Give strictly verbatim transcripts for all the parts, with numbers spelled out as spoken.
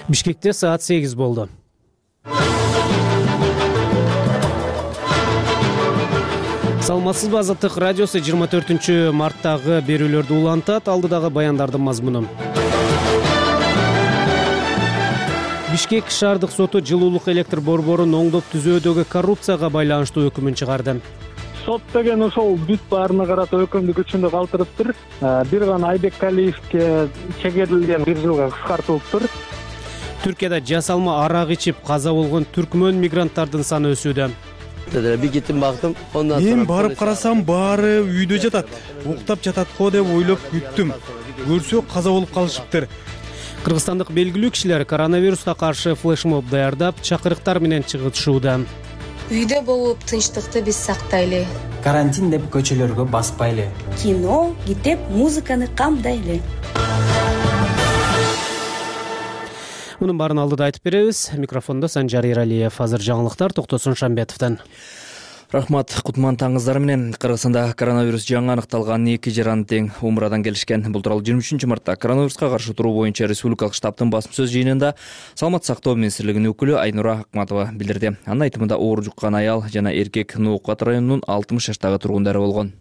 Бишкекте саат сегиз болду. Саламатсызбы, Азаттык радиосу жыйырма төртүнчү марттагы берүүлөрдү улантат. Алдыдагы баяндардын мазмуну. Бишкек шаардык соту жылуулук электр борборун оңдоп түзөөдөгү коррупцияга байланыштуу өкүмүн чыгарды. Сот деген ошол бүт баарына карата өкүмдү күчүндө калтырыптыр. Бир гана Айбек Алиевке чегерилген бир жылга кыскартылыптыр. Түркияда жасалма арак ичип каза болгон түркмөн мигранттардын саны өсүүдө. Bir gittim baktım. Ondan Мен барып карасам баары үйдө жатат. Уктап жатат го деп ойлоп күттүм. Көрсөк каза болуп калышыптыр. Кыргызстандык белгилүү кишилер коронавируска каршы флешмоб даярдап, чакырыктар менен чыгышууда. Үйдө болуп тынчтыкты биз сактайлы. Карантин деп көчөлөргө баспайлы. Кино, китеп, музыканы камдайлы. Мунун баарын алдыда айтып беребиз. Микрофондо Санжар Эралиев. Азыр жаңылыктар Токтосун Шамбетовдон. Рахмат, кутман таңыңыздар менен. Кыргызстанда коронавирус жаңы аныкталган эки жаран тең Умрадан келишкен. Бул тууралуу жыйырма үчүнчү мартта коронавируска каршы туруу боюнча республикалык штабтын басма сөз жыйынында Саламаттык сактоо министрлигинин өкүлү Айнура Акматова билдирди. Анын айтымында оору жуккан аял жана эркек Ноокат районунун алтымыш жаштагы тургундары болгон.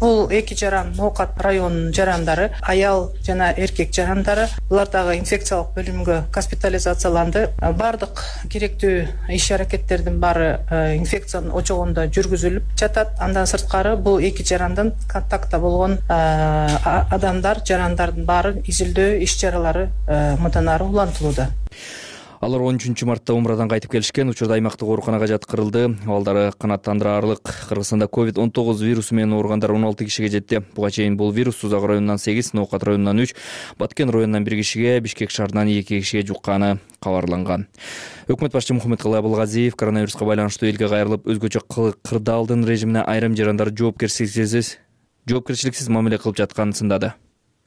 Бул эки жаран Ноокат районунун жарандары, аял жана эркек жарандары. Булар дагы инфекциялык бөлүмгө госпитализацияланды. Бардык керектүү иш-аракеттердин баары инфекциянын очогунда жүргүзүлүп жатат. Андан сырткары бул эки жарандан контактта болгон адамдар, жарандардын баары изилдөө иш-чаралары мындан ары улантылууда. Алар он үчүнчү мартта Умрадан кайтып келишкен. Учурда аймактык ооруканага жаткырылды. Балдары канааттандыраарлык. Кыргызстанда ковид он тогуз вирусу менен ооругандар он алты кишиге жетти. Буга чейин бул вирус Сузак районунан сегиз, Ноокат районунан үч, Баткен районунан бир кишиге, Бишкек шаарынан эки кишиге жукканы кабарланган. Өкмөт башчы Мухаммедкалый Абылгазиев коронавируска байланыштуу элге кайрылып, өзгөчө кырдаалдын режимине айрым жарандар жоопкерчиликсиз жоопкерчиликсиз мамиле кылып жатканын сындады.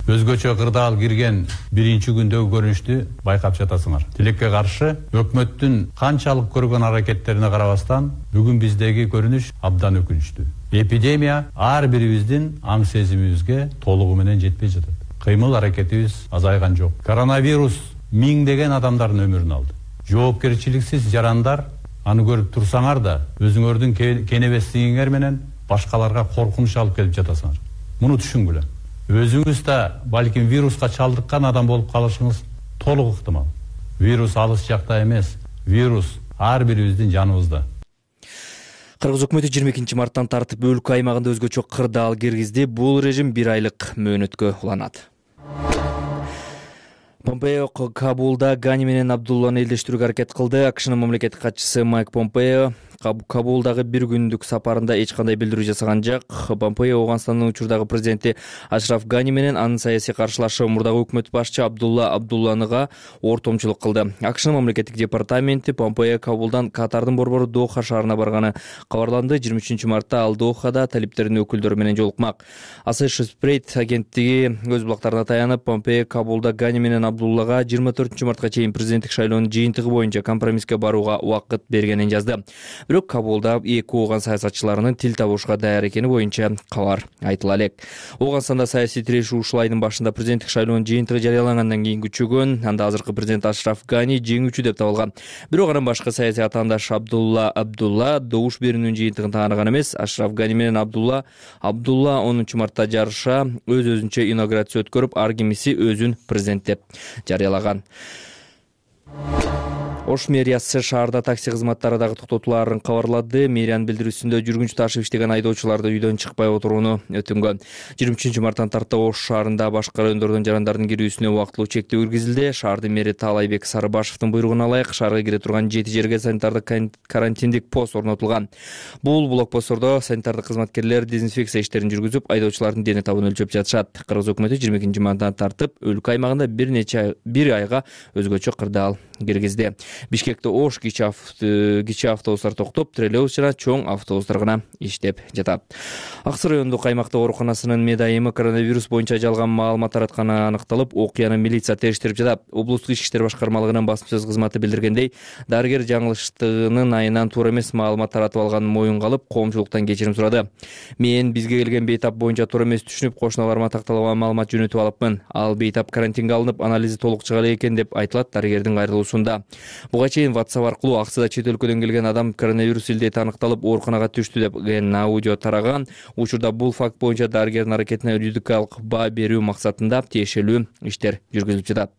Өзгөчө кырдаал кирген биринчи күндөгү көрүнүштү байкап жатасыңар. Тилекке каршы өкмөттүн канчалык көргөн аракеттерине карабастан, бүгүн биздеги көрүнүш абдан өкүнүчтүү. Эпидемия ар бирибиздин аң сезимибизге толугу менен жетпей жатат. Кыймыл аракетибиз азайган жок. Коронавирус миңдеген адамдардын өмүрүн алды. Жоопкерчиликсиз жарандар аны көрүп турсаңар да, өзүңөрдүн кенебестигиңер менен башкаларга коркунуч алып келип жатасыңар. Муну түшүнгүлө. Өзүңүз да балким вируска чалдыккан адам болуп калышыңыз толук ыктымал. Вирус алыс жакта эмес, вирус ар бирибиздин жаныбызда. Кыргыз өкмөтү жыйырма экинчи марттан тартып өлкө аймагында өзгөчө кырдаал киргизди. Бул режим бир айлык мөөнөткө уланат. Помпео Кабулда Гани менен Абдулланы элдештирүүгө аракет кылды. АКШнын мамлекеттик катчысы Майк Помпео Кабулдагы бир күндүк сапарында эч кандай билдирүү жасаган жок. Помпео Ооганстандын учурдагы президенти Ашраф Гани менен анын саясий каршылашы мурдагы өкмөт башчы Абдулла Абдулланыга ортомчулук кылды. АКШнын мамлекеттик департаменти Помпео Кабулдан Катардын борбору Доха шаарына барганы кабарланды. жыйырма үчүнчү мартта ал Дохада талиптердин өкүлдөрү менен жолукмак. Associated Press агенттиги өз булактарына таянып, Помпео Кабулда Гани менен Абдуллага жыйырма төртүнчү мартка чейин президенттик шайлоонун жыйынтыгы боюнча компромисске барууга убакыт бергенин жазды. Бирок Кабулда эки ооган саясатчыларынын тил табышууга даяр экени боюнча кабар айтыла элек. Ооганстанда саясий тирешүү ушул айдын башында президенттик шайлоонун жыйынтыгы жарыялангандан кийин күчөгөн. Анда азыркы президент Ашраф Гани жеңүүчү деп табылган. Бирок анын башкы саясий атаандаш Абдулла Абдулла добуш берүүнүн жыйынтыгын тааныган эмес. Ашраф Гани менен Абдулла Абдулла онунчу мартта жарыша өз-өзүнчө инаугурация өткөрүп, ар кимиси өзүн президент деп жарыялаган. Ош мэриясы шаарда такси кызматтары дагы токтотулаарын кабарлады. Мэриянын билдирүүсүндө жүргүнчү ташып иштеген айдоочуларды үйдөн чыкпай отурууну өтүнгөн. жыйырма үчүнчү марттан тарта Ош шаарында башка райондордон жарандардын кирүүсүнө убактылуу чектөө киргизилди. Шаардын мэри Таалайбек Сарыбашевдин буйругуна ылайык шаарга кире турган жети жерге санитардык карантиндик пост орнотулган. Бул блокпосттордо санитардык кызматкерлер дезинфекция иштерин жүргүзүп, айдоочулардын дене табын өлчөп жатышат. Кыргыз өкмөтү жыйырма экинчи марттан тартып өлкө аймагында бир нече бир айга өзгөчө кырдаал киргизди. Бишкекте ош кичи автобустар токтоп, троллейбус жана чоң автобустар гана иштеп жатат. Ак Суу райондук аймактык ооруканасынын медайымы коронавирус боюнча жалган маалымат таратканы аныкталып, окуяны милиция териштирип жатат. Облустук ички иштер башкармалыгынын басма сөз кызматы билдиргендей, дарыгер жаңылыштыгынын айынан туура эмес маалымат таратып алганын моюнга алып, коомчулуктан кечирим сурады. Мен бизге келген бейтап боюнча туура эмес түшүнүп, кошуналарыма такталган маалымат жөнөтүп алыпмын. Ал бейтап карантинге алынып, анализи толук чыга элек экен деп айтылат дарыгердин кайрылуусунда. Буга чейин WhatsApp аркылуу Аксыда чет өлкөдөн келген адам коронавирус илдети аныкталып, ооруканага түштү деген аудио тараган. Учурда бул факт боюнча дарыгердин аракетине юридикалык баа берүү максатында тиешелүү иштер жүргүзүлүп жатат.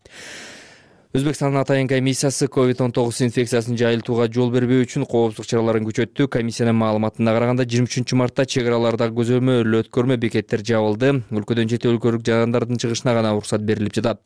Өзбекстандын атайын комиссиясы ковид он тогуз инфекциясын жайылтууга жол бербөө үчүн коопсуздук чараларын күчөттү. Комиссиянын маалыматына караганда жыйырма үчүнчү мартта чек араларда көзөмөл өткөрмө бекеттер жабылды. Өлкөдөн чет өлкөлүк жандардын чыгышына гана уруксат берилип жатат.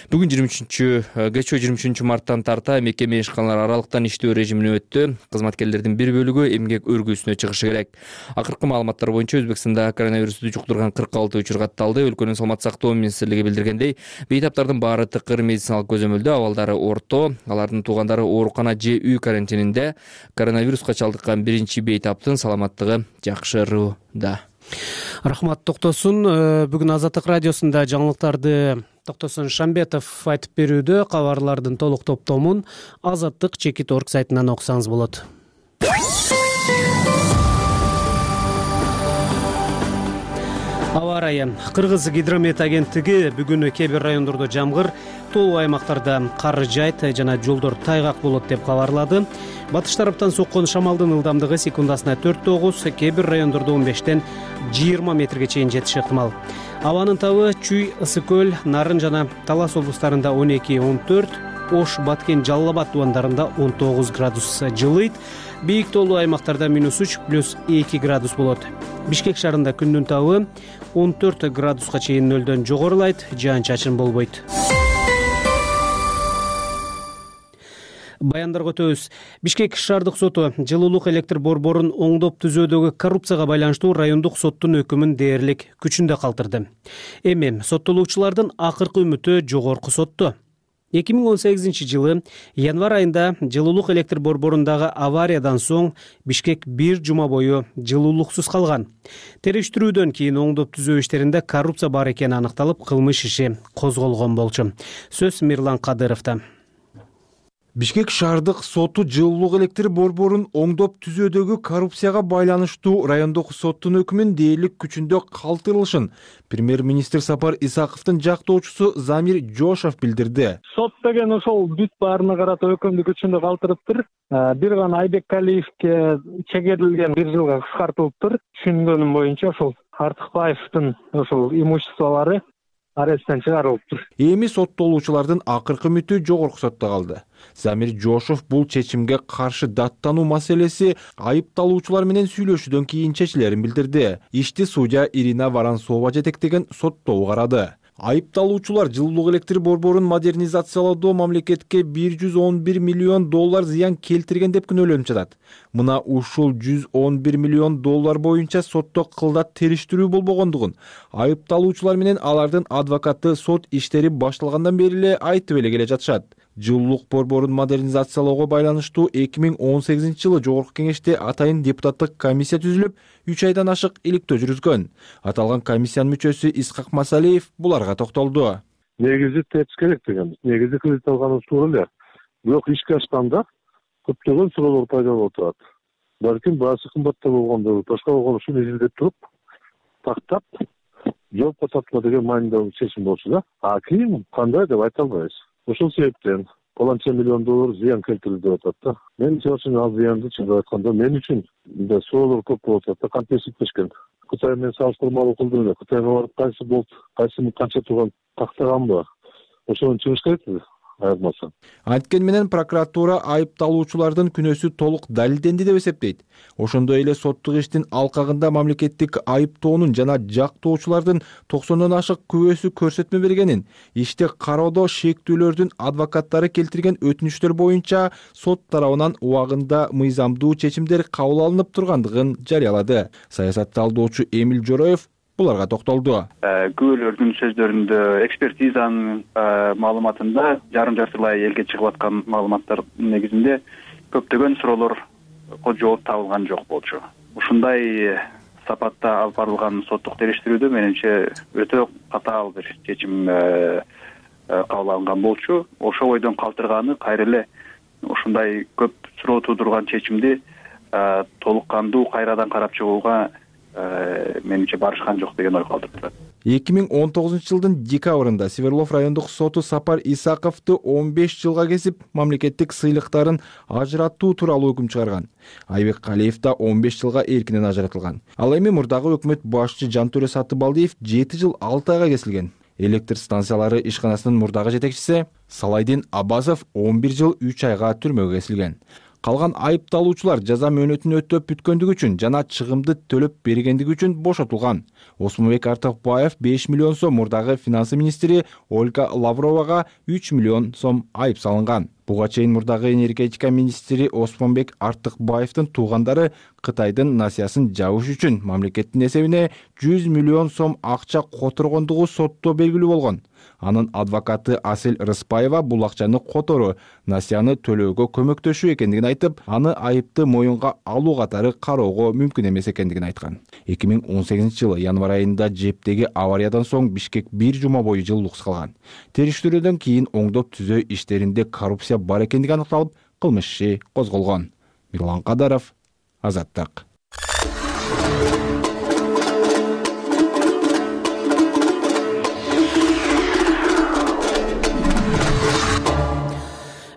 Бүгүн жыйырма үчүнчү кечээ жыйырма үчүнчү марттан тарта мекеме ишканалар аралыктан иштөө режимине өттү. Кызматкерлердин бир бөлүгү эмгек өргүүсүнө чыгышы керек. Акыркы маалыматтар боюнча Өзбекстанда коронавирусту жуктурган кырк алты учур катталды. Өлкөнүн саламаттык сактоо министрлиги билдиргендей, бейтаптардын баары тыкыр медициналык көзөмөлдө, абалдары орто, алардын туугандары оорукана же үй карантининде. Коронавируска чалдыккан биринчи бейтаптын саламаттыгы жакшырууда. Рахмат, токтосун. Бүгүн Азаттык радиосунда жаңылыктарды Токтосун Шамбетов айтып берүүдө. Кабарлардын толук топтомун Азаттык чекит орг сайтынан окусаңыз болот. Аба ырайы. Кыргыз гидромет агенттиги бүгүн кээ бир райондордо жамгыр, тоолуу аймактарда кар жайт жана жолдор тайгак болот деп кабарлады. Батыш тараптан соккон шамалдын ылдамдыгы секундасына төрт тогуз, кээ бир райондордо он бештен жыйырма метрге чейин жетиши ыктымал. Абанын табы Чүй, Ысык көл, Нарын жана Талас облустарында он эки он төрт, Ош, Баткен, Жалал Абад тубандарында он тогуз градус жылыйт. Бийик тоолуу аймактарда минус үч плюс эки градус болот. Бишкек шаарында күндүн табы он төрт градуска чейин нөлдөн жогорулайт, жаан-чачын болбойт. Баяндарга өтөбүз. Бишкек шаардык соту жылуулук электр борборун оңдоп түзүүдөгү коррупцияга байланыштуу райондук соттун өкүмүн дээрлик күчүндө калтырды. Эми соттолуучулардын акыркы үмүтү жогорку сотто. эки миң он сегизинчи жылы январь айында жылуулук электр борборундагы авариядан соң Бишкек бир жума бою жылуулуксуз калган. Териштирүүдөн кийин оңдоп түзөө иштеринде коррупция бар экени аныкталып, кылмыш иши козголгон болчу. Сөз Мирлан Кадыровдо. Бишкек шаардык соту жылуулук электр борборун оңдоп түзөөдөгү коррупцияга байланыштуу райондук соттун өкүмүн дээрлик күчүндө калтырылышын премьер-министр Сапар Исаковдун жактоочусу Замир Жошов билдирди. Сот деген ошол бүт баарына карата өкүмдү күчүндө калтырыптыр. Бир гана Айбеккалиевке чегерилген бир жылга кыскартылыптыр. Түшүнгөнүм боюнча ошол Артыкбаевдин ошол имуществолору аресттен чыгарылыптыр. Эми соттолуучулардын акыркы үмүтү жогорку сотто калды. Замир Жошов бул чечимге каршы даттануу маселеси айыпталуучулар менен сүйлөшүүдөн кийин чечилерин билдирди. Ишти судья Ирина Воронцова жетектеген соттоо карады. Айыпталуучулар жылуулук электр борборун модернизациялоодо мамлекетке бир жүз он бир миллион доллар зыян келтирген деп күнөөлөнүп жатат. Мына ушул жүз он бир миллион доллар боюнча сотто кылдат териштирүү болбогондугун айыпталуучулар менен алардын адвокаты сот иштери башталгандан бери эле айтып эле келе жатышат. Жылуулук борборун модернизациялоого байланыштуу эки миң он сегизинчи жылы жогорку кеңеште атайын депутаттык комиссия түзүлүп, үч айдан ашык иликтөө жүргүзгөн. Аталган комиссиянын мүчөсү Исхак Масалиев буларга токтолду. Негизи тепс керек деген. Негизи кредит алганыбыз туура эле. Бирок ишке ашканда көптөгөн суроолор пайда болуп турат. Балким баасы кымбатта болгондо, башка болгондо ушуну изилдеп туруп, тактап, жоопко тартма деген маанидүү чечим болчу да. А кийин кандай деп айта албайбыз. Ошол себептен коланча миллион доллар зыян келтирилди деп атат да. Мен чоочун ал зыянды чындап айтканда мен үчүн мындай суроолор көп болуп атат да, кантесиптешкен. Кытай менен салыштырмалуу кылдым эле. Кытайга барып кайсы болуп, кайсы канча турган тактаганбы? Ошону чыгыш керек айырмасы. Анткени менен прокуратура айыпталуучулардын күнөөсү толук далилденди деп эсептейт. Ошондой эле соттук иштин алкагында мамлекеттик айыптоонун жана жактоочулардын токсондон ашык күбөсү көрсөтмө бергенин, ишти кароодо шектүүлөрдүн адвокаттары келтирген өтүнүчтөр боюнча сот тарабынан убагында мыйзамдуу чечимдер кабыл алынып тургандыгын жарыялады. Саясат талдоочу Эмил Жороев буларга токтолду. Күбөлөрдүн сөздөрүндө, экспертизанын маалыматында жарым жартылай элге чыгып аткан маалыматтар негизинде көптөгөн суроолорго жооп табылган жок болчу. Ушундай сапатта алып барылган соттук териштирүүдө менимче өтө катаал бир чечим кабыл алынган болчу. Ошо бойдон калтырганы кайра эле ушундай көп суроо туудурган чечимди толук кандуу кайрадан карап чыгууга менимче барышкан жок деген ой калтырып турат. эки миң он тогузунчу жылдын декабрында Свердлов райондук соту Сапар Исаковду он беш жылга кесип, мамлекеттик сыйлыктарын ажыраттуу тууралуу өкүм чыгарган. Айбек Калиев да он беш жылга эркинен ажыратылган. Ал эми мурдагы өкмөт башчы Жантөре Сатыбалдиев жети жыл алты айга кесилген. Электр станциялары ишканасынын мурдагы жетекчиси Салайдин Абазов он бир жыл үч айга түрмөгө кесилген. Калган айыпталуучулар жаза мөөнөтүн өтөп бүткөндүгү үчүн жана чыгымды төлөп бергендиги үчүн бошотулган. Осмонбек Артыкбаев беш миллион сом, мурдагы финансы министри Ольга Лавровага үч миллион сом айып салынган. Буга чейин мурдагы энергетика министри Осмонбек Артыкбаевдин туугандары Кытайдын насыясын жабыш үчүн мамлекеттин эсебине жүз миллион сом акча которгондугу сотто белгилүү болгон. Анын адвокаты Асел Рыспаева бул акчаны которуу, насыяны төлөөгө көмөктөшүү экендигин айтып, аны айыпты моюнга алуу катары кароого мүмкүн эмес экендигин айткан. эки миң он сегизинчи жылы январь айында жептеги авариядан соң Бишкек бир жума бою жылуулуксуз калган. Териштирүүдөн кийин оңдоп түзөө иштеринде коррупция бар экендиги аныкталып, кылмыш иши козголгон. Мирлан Кадаров, Азаттык.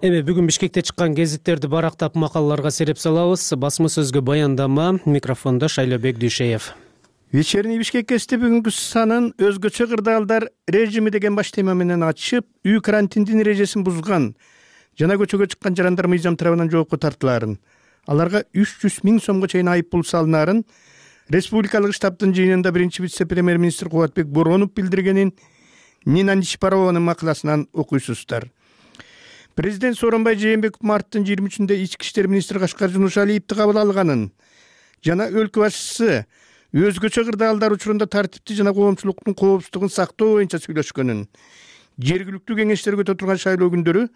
Эми бүгүн Бишкекте чыккан гезиттерди барактап макалаларга сереп салабыз. Басма сөзгө баяндама, микрофондо Шайлобек Дүйшеев. Вечерний Бишкек гезити бүгүнкү санын өзгөчө кырдаалдар режими деген баш тема менен ачып, үй карантиндин эрежесин бузган жана көчөгө чыккан жарандар мыйзам тарабынан жоопко тартылаарын, аларга үч жүз миң сомго чейин айып пул салынаарын республикалык штабтын жыйынында биринчи вице-премьер-министр Кубатбек Боронов билдиргенин Нина Нишпарованын макаласынан окуйсуздар. Президент Сооронбай Жээнбеков марттын жыйырма үчүндө ички иштер министри Кашкар Жунушалиевди кабыл алганын жана өлкө башчысы өзгөчө кырдаалдар учурунда тартипти жана коомчулуктун коопсуздугун сактоо боюнча сүйлөшкөнүн, жергиликтүү кеңештерге өтө турган шайлоо күндөрү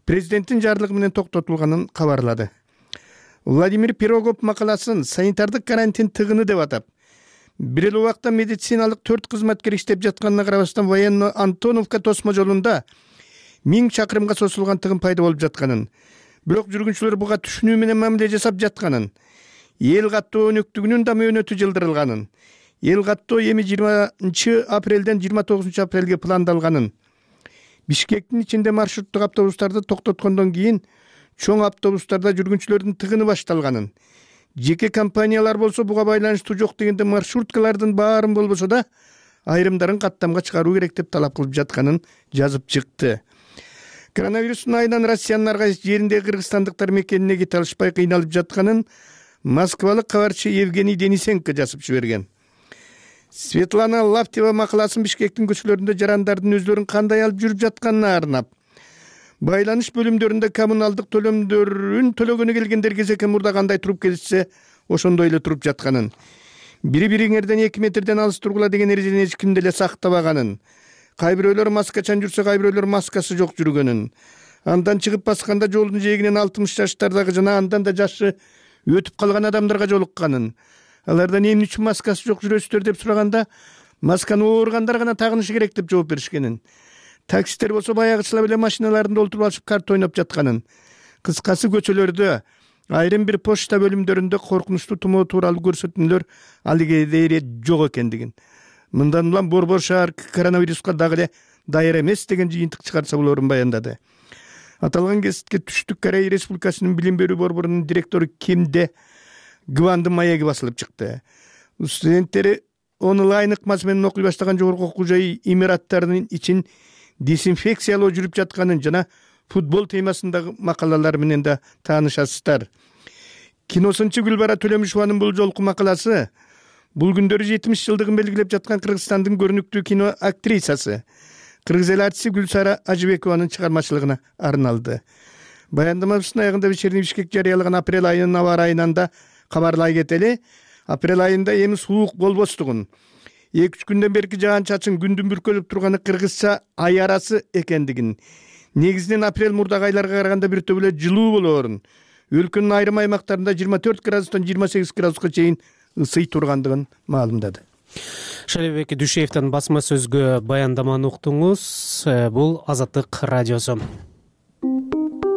президенттин жарлыгы менен токтотулганын кабарлады. Владимир Пирогов макаласын санитардык карантин тыгыны деп атап, бир эле убакта медициналык төрт кызматкер иштеп жатканына карабастан военно Антоновка тосмо жолунда миң чакырымга созулган тыгын пайда болуп жатканын, бирок жүргүнчүлөр буга түшүнүү менен мамиле жасап жатканын, эл каттоо өнөктүгүнүн да мөөнөтү жылдырылганын, эл каттоо эми жыйырманчы апрелден жыйырма тогузунчу апрелге пландалганын, Бишкектин ичинде маршруттук автобустарды токтоткондон кийин чоң автобустарда жүргүнчүлөрдүн тыгыны башталганын, жеке компаниялар болсо буга байланыштуу жок дегенде маршруткалардын баарын болбосо да айрымдарын каттамга чыгаруу керек деп талап кылып жатканын жазып чыкты. Коронавирустун айынан Россиянын ар кайсы жеринде кыргызстандыктар мекенине кете алышпай кыйналып жатканын москвалык кабарчы Евгений Денисенко жазып жиберген. Светлана Лаптева макаласын Бишкектин көчөлөрүндө жарандардын өздөрүн кандай алып жүрүп жатканына арнап, байланыш бөлүмдөрүндө коммуналдык төлөмдөрүн төлөгөнү келгендер кезекке мурда кандай туруп келишсе, ошондой эле туруп жатканын, бири бириңерден эки метрден алыс тургула деген эрежени эч ким деле сактабаганын, кай бирөөлөр маскачан жүрсө, кай бирөөлөр маскасы жок жүргөнүн, андан чыгып басканда жолдун жээгинен алтымыш жаштардагы жана андан да жашы өтүп калган адамдарга жолукканын, алардан эмне үчүн маскасы жок жүрөсүздөр деп сураганда, масканы ооругандар гана тагынышы керек деп жооп беришкенин, таксисттер болсо баягычыла эле машиналарында олтуруп алышып карта ойноп жатканын, кыскасы көчөлөрдө айрым бир почта бөлүмдөрүндө коркунучтуу тумоо тууралуу көрсөтмөлөр алыгедере жок экендигин, мындан улам Борбор шаар коронавируска дагы эле даяр эмес деген жыйынтык чыгарса болорун баяндады. Аталган гезитке Түштүк Корея Республикасынын билим берүү борборунун директору Кимде Гвандын маеги басылып чыкты. Студенттери онлайн ыкмасы менен окуй баштаган жогорку окуу жай имараттарынын ичин дезинфекциялоо жүрүп жатканын жана футбол темасындагы макалалар менен да таанышасыздар. Киносунчу Гүлбара Төлөмүшованын бул жолку макаласы бул күндөрү жетимиш жылдыгын белгилеп жаткан Кыргызстандын көрүнүктүү кино актрисасы, кыргыз эл артисти Гүлсара Ажыбекованын чыгармачылыгына арналды. Баяндамабыздын аягында Вечерний Бишкек жарыялаган апрель айынын аба ырайынан да кабарлай кетели. Апрель айында эми суук болбостугун, эки үч күндөн берки жаан чачын күндүн бүркөлүп турганы кыргызча ай арасы экендигин, негизинен апрель мурдагы айларга караганда бир топ эле жылуу болоорун, өлкөнүн айрым аймактарында жыйырма төрт градустан жыйырма сегиз градуска чейин ысый тургандыгын маалымдады. Шалибек Дүйшеевдин басма сөзгө баяндаманы уктуңуз. Бул Азаттык радиосу.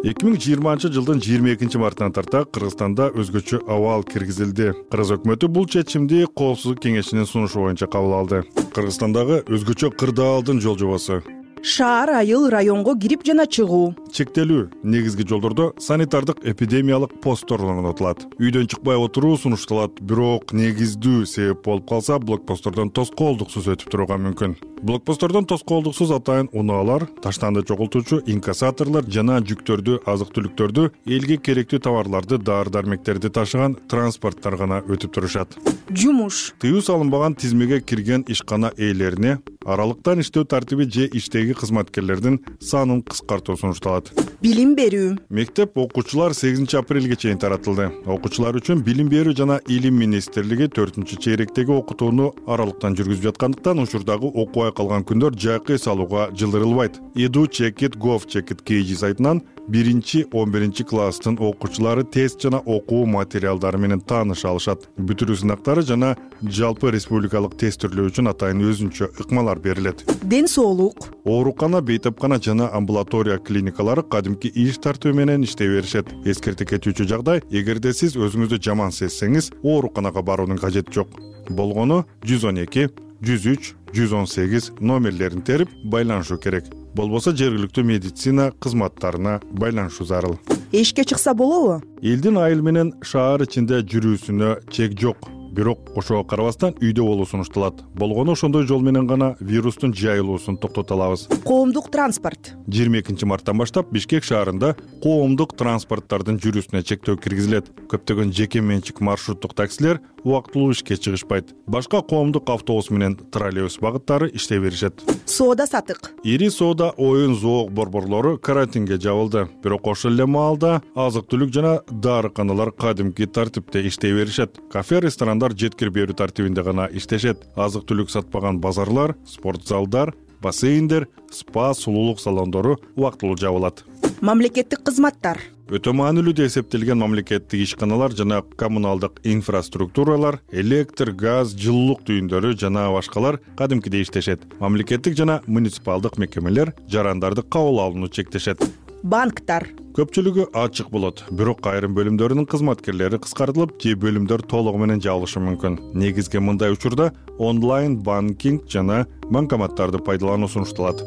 эки миң жыйырманчы жылдын жыйырма экинчи мартынан тарта Кыргызстанда өзгөчө абал киргизилди. Кыргыз өкмөтү бул чечимди Коопсуздук кеңешинин сунушу боюнча кабыл алды. Кыргызстандагы өзгөчө кырдаалдын жол жобосу. Шаар, айыл, районго кирип жана чыгуу. Чектелүү негизги жолдордо санитардык эпидемиялык посттор орнотулат. Үйдөн чыкпай отуруу сунушталат, бирок негиздүү себеп болуп калса, блокпосттордон тоскоолдуксуз өтүп турууга мүмкүн. Блокпосттордон тоскоолдуксуз атайын унаалар, таштанды чогултуучу инкассаторлор жана жүктөрдү, азык-түлүктөрдү, элге керектүү товарларды, дары-дармектерди ташыган транспорттор гана өтүп турушат. Жумуш. Тыюу салынбаган тизмеге кирген ишкана ээлерине аралыктан иштөө тартиби же иштеги кызматкерлердин санын кыскартуу сунушталат. Билим берүү. Мектеп окуучулар сегизинчи апрелге чейин таратылды. Окуучулар үчүн Билим берүү жана Илим министрлиги төртүнчү чейректеги окутууну аралыктан жүргүзүп жаткандыктан учурдагы окубай калган күндөр жайкы эс алууга жылдырылбайт. edu chekit gov chekit kg сайтынан биринчи он биринчи класстын окуучулары тест жана окуу материалдары менен тааныша алышат. Бүтүрүү сынактары жана жалпы республикалык тестирлөө үчүн атайын өзүнчө ыкмалар берилет. Ден соолук. Оорукана, бейтапкана жана амбулатория клиникалары кадимки иш тартуу менен иштей беришет. Эскерте кетүүчү жагдай, эгерде сиз өзүңүздү жаман сезсеңиз, ооруканага баруунун кажети жок. Болгону жүз он эки, жүз үч, жүз он сегиз номерлерин терип байланышуу керек. Болбосо жергиликтүү медицина кызматтарына байланышуу зарыл. Эшикке чыкса болобу? Элдин айыл менен шаар ичинде жүрүүсүнө чек жок. Бирок ошого карабастан үйдө болуу сунушталат. Болгону ошондой жол менен гана вирустун жайылуусун токтото алабыз. Коомдук транспорт. жыйырма экинчи марттан баштап Бишкек шаарында коомдук транспорттардын жүрүүсүнө чектөө киргизилет. Көптөгөн жеке менчик маршруттук таксилер убактылуу ишке чыгышпайт. Башка коомдук автобус менен троллейбус багыттары иштей беришет. Соода сатык. Ири соода, оюн, зоок борборлору карантинге жабылды. Бирок ошол эле маалда азык-түлүк жана дарыканалар кадимки тартипте иштей беришет. Кафе, ресторандар жеткирип берүү тартибинде гана иштешет. Азык-түлүк сатпаган базарлар, спорт залдар, бассейндер, спа, сулуулук салондору убактылуу жабылат. Мамлекеттик кызматтар. Өтө маанилүү деп эсептелген мамлекеттик ишканалар жана коммуналдык инфраструктуралар, электр, газ, жылуулук түйүндөрү жана башкалар кадимкидей иштешет. Мамлекеттик жана муниципалдык мекемелер жарандарды кабыл алууну чектешет. Банктар. Көпчүлүгү ачык болот, бирок айрым бөлүмдөрүнүн кызматкерлери кыскартылып, же бөлүмдөр толугу менен жабылышы мүмкүн. Негизги мындай учурда онлайн банкинг жана банкоматтарды пайдалануу сунушталат.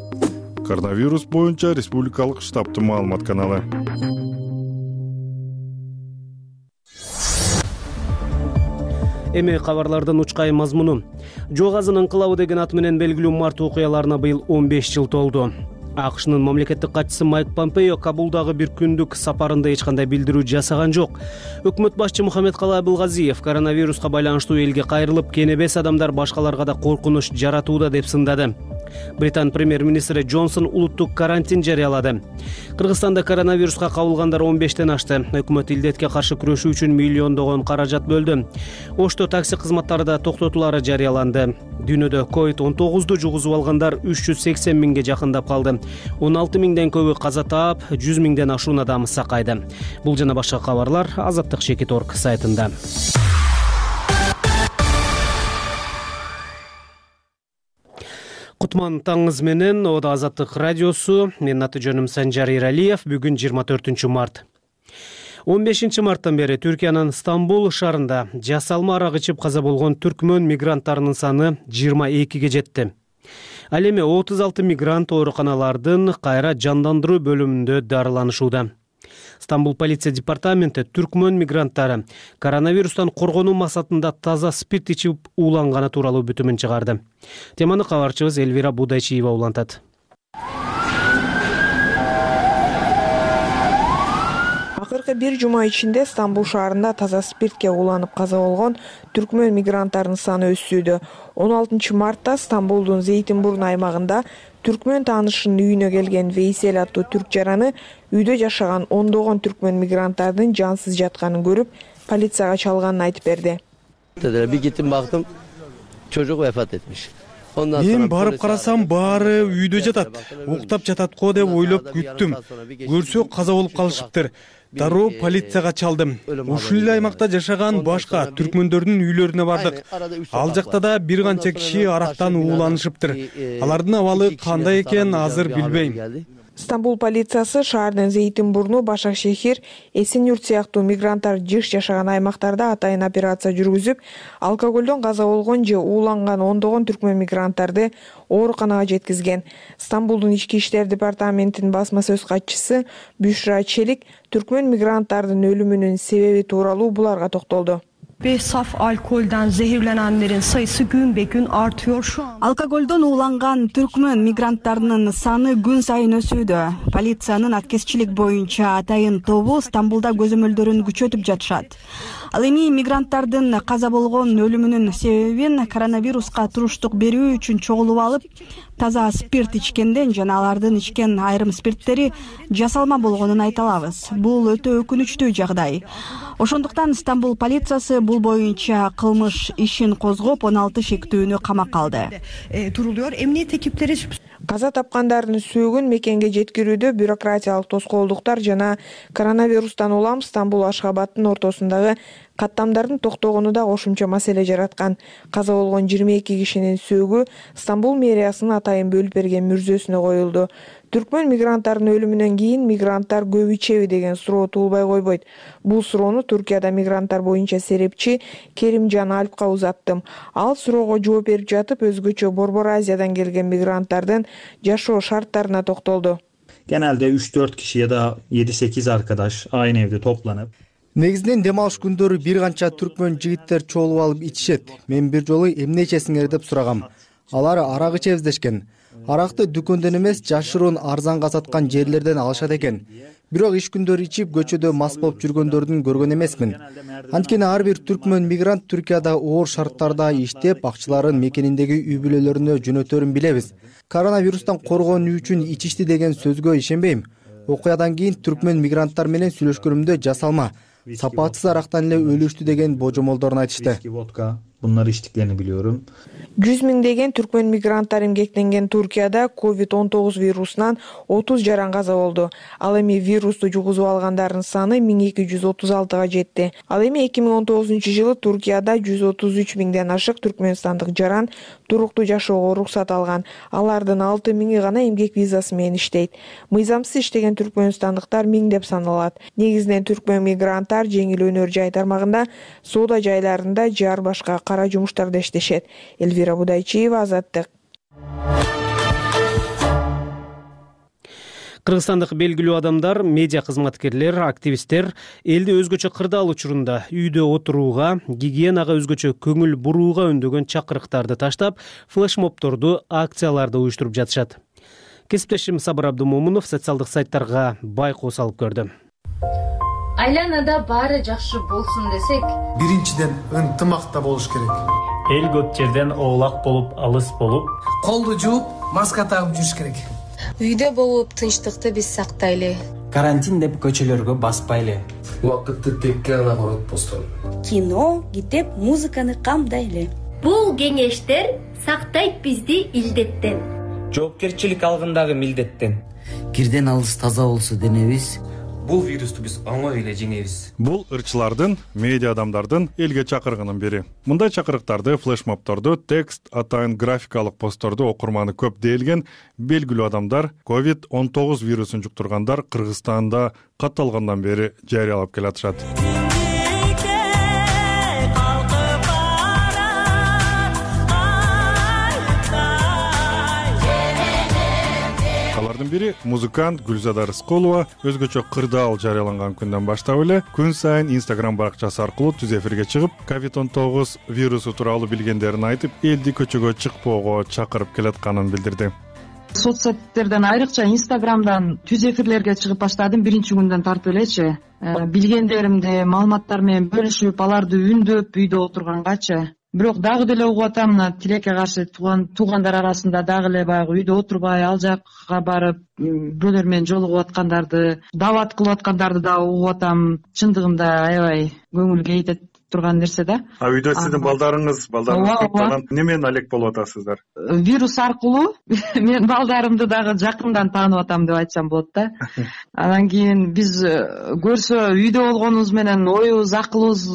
Коронавирус боюнча республикалык штабтын маалымат каналы. Эми кабарлардын учкай мазмуну. Жоо газынын ыңкылабы деген аты менен белгилүү март окуяларына быйыл он беш жыл толду. АКШнын мамлекеттик катчысы Майк Помпео Кабулдагы бир күндүк сапарында эч кандай билдирүү жасаган жок. Өкмөт башчы Мухаммедкалый Абылгазиев коронавируска байланыштуу элге кайрылып, кенебес адамдар башкаларга да коркунуч жаратууда деп сындады. Британ премьер-министри Джонсон улуттук карантин жарыялады. Кыргызстанда коронавируска кабылгандар он бештен ашты. Өкмөт илдетке каршы күрөшүү үчүн миллиондогон каражат бөлдү. Ошто такси кызматтары да токтотулары жарыяланды. Дүйнөдө ковид он тогузду жугузуп алгандар үч жүз сексен миңге жакындап калды. он алты миңден көбү каза таап, жүз миңден ашуун адам сакайды. Бул жана башка кабарлар Азаттык чекит точка орг сайтында. Кутман таңыңыз менен, Ода Азаттык радиосу. Менин аты жөнүм Санжар Иралиев. Бүгүн жыйырма төртүнчү март. он бешинчи марттан бери Түркиянын Стамбул шаарында жасалма арак ичип каза болгон түркмөн мигранттарынын саны жыйырма экиге жетти. Ал эми отуз алты мигрант ооруканалардын кайра жандандыруу бөлүмүндө дарыланышууда. Стамбул полиция департаменти түркмөн мигранттары коронавирустан коргонуу максатында таза спирт ичип ууланганы тууралуу бүтүмүн чыгарды. Теманы кабарчыбыз Элвира Будайчиева улантат. Акыркы бир жума ичинде Стамбул шаарында таза спиртке ууланып каза болгон түркмөн мигранттарынын саны өссүүдө. он алтынчы мартта Стамбулдун Зейтинбурн аймагында түркмөн таанышынын үйүнө келген Вейсел аттуу түрк жараны үйдө жашаган ондогон түркмөн мигранттардын жансыз жатканын көрүп, полицияга чалганын айтып берди. Bir gittim baktım çocuk vefat etmiş. Ondan Мен sonra барып polisi карасам баары үйдө жатат. Уктап жатат го деп ойлоп күттүм. Көрсө каза болуп калышыптыр. Дароо полицияга чалдым. Ушул эле аймакта жашаган башка түркмөндөрдүн үйлөрүнө бардык. Ал жакта да бир канча киши арактан ууланышыптыр. Алардын абалы кандай экен азыр билбейм. Стамбул полициясы шаардын Зейтинбурну, Башак шехир, Эсен-Юрт сыяктуу мигранттар жыш жашаган аймактарда атайын операция жүргүзүп, алкоголдон каза болгон же ууланган ондогон түркмөн мигранттарды ооруканага жеткизген. Стамбулдун ички иштер департаментинин басма сөз катчысы Бюшра Челик түркмөн мигранттардын өлүмүнүн себеби тууралуу буларга токтолду. Ve saf alkolden zehirlenenlerin sayısı gün be gün artıyor şu an. Алкоголдон ууланган түркмөн мигранттарынын саны күн сайын өсүүдө. Полициянын аткезчилик боюнча атайын тобу Стамбулда көзөмөлдөрүн күчөтүп жатышат. Ал эми мигранттардын каза болгон өлүмүнүн себебин коронавируска туруштук берүү үчүн чогулуп алып, таза спирт ичкенден жана алардын ичкен айрым спирттери жасалма болгонун айта алабыз. Бул өтө өкүнүчтүү жагдай. Ошондуктан Стамбул полициясы бул боюнча кылмыш ишин козгоп, он алты шектүүнү камакка алды. Duruluyor. Emniyet ekipleri Каза тапкандардын сөөгүн мекенге жеткирүүдө бюрократиялык тоскоолдуктар жана коронавирустан улам Стамбул Ашхабадтын ортосундагы каттамдардын токтогону да кошумча маселе жараткан. Каза болгон жыйырма эки кишинин сөөгү Стамбул мэриясынын атайын бөлүп берген мүрзөсүнө коюлду. Түркмөн мигранттардын өлүмүнөн кийин мигранттар көп ичеби деген суроо туулбай койбойт. Бул суроону Туркияда мигранттар боюнча серепчи Керимжан Алпка узаттым. Ал суроого жооп берип жатып өзгөчө Борбор Азиядан келген мигранттардын жашоо шарттарына токтолду. Genelde üç dört kişi ya da yedi sekiz arkadaş aynı evde toplanıp Негизинен дем алыш күндөрү бир канча түркмөн жигиттер чогулуп алып ичишет. Мен бир жолу эмне ичесиңер деп сурагам. Алар арак ичебиз дешкен. Аракты дүкөндөн эмес, жашыруун арзанга саткан жерлерден алышат экен. Бирок иш күндөрү ичип көчөдө мас болуп жүргөндөрдүн көргөн эмесмин. Анткени ар бир түркмөн мигрант Түркияда оор шарттарда иштеп, акчаларын мекениндеги үй бүлөлөрүнө жөнөтөрүн билебиз. Коронавирустан коргонуу үчүн ичишти деген сөзгө ишенбейм. Окуядан кийин түркмөн мигранттар менен сүйлөшкөнүмдө жасалма, сапатсыз арактан эле өлүштү деген божомолдорун айтышты. Bunları içtiklerini biliyorum. жүз миңдеген түркмөн мигранттар эмгектенген Туркияда ковид он тогуз вирусунан отуз жаран каза болду. Ал эми вирусту жугузуп алгандардын саны миң эки жүз отуз алтыга жетти. Ал эми эки миң он тогузунчу жылы Туркияда жүз отуз үч миңден ашык түркмөнстандык жаран туруктуу жашоого уруксат алган. Алардын алты миңи гана эмгек визасы менен иштейт. Мыйзамсыз иштеген түркмөнстандыктар миңдеп саналат. Негизинен түркмөн мигранттар жеңил өнөр жай тармагында, соода жайларында жар башка кара жумуштарда иштешет. Элвира Будайчиева, Азаттык. Кыргызстандык белгилүү адамдар, медиа кызматкерлер, активисттер элди өзгөчө кырдаал учурунда үйдө отурууга, гигиенага өзгөчө көңүл бурууга үндөгөн чакырыктарды таштап, флешмобторду, акцияларды уюштуруп жатышат. Кесиптешим Сабыр Абдумомунов социалдык сайттарга байкоо салып көрдү. Айланада баары жакшы болсун десек, биринчиден ынтымакта болуш керек. Эл көп жерден оолак болуп, алыс болуп, колду жууп, маска тагып жүрүш керек. Үйдө болуп тынчтыкты биз сактайлы. Карантин деп көчөлөргө баспайлы. Убакытты текке гана коротпостон. Кино, китеп, музыканы камдайлы. Бул кеңештер сактайт бизди илдеттен. Жоопкерчилик алгындагы милдеттен. Кирден алыс таза болсо денебиз, бул вирусту биз оңой эле жеңебиз. Бул ырчылардын, медиа адамдардын элге чакыргынын бири. Мындай чакырыктарды, флешмобторду, текст, атайын графикалык постторду окурманы көп дээлген белгилүү адамдар ковид он тогуз вирусун жуктургандар Кыргызстанда катталгандан бери жарыялап келатышат. Алардын бири музыкант Гүлзада Рыскулова өзгөчө кырдаал жарыяланган күндөн баштап эле күн сайын Instagram баракчасы аркылуу түз эфирге чыгып, ковид он тогуз вирусу тууралуу билгендерин айтып, элди көчөгө чыкпоого чакырып келатканын билдирди. Соц сеттерден айрыкча Instagramдан түз эфирлерге чыгып баштадым биринчи күндөн тартып элечи. Билгендеримди маалыматтар менен бөлүшүп, аларды үндөп үйдө отургангачы. Бирок дагы деле угуп атам, мына тилекке каршы туугандар арасында дагы эле баягы үйдө отурбай, ал жакка барып, бирөөлөр менен жолугуп аткандарды, дават кылып аткандарды да угуп атам. Чындыгында аябай көңүл кейтет. турган нерсе да. А үйдө сиздин балдарыңыз балдарыңыз эмне менен алек болуп атасыздар? Вирус аркылуу мен балдарымды дагы жакындан таанып атам деп айтсам болот да. Анан кийин биз көрсө үйдө болгонубуз менен оюбуз, акылыбыз,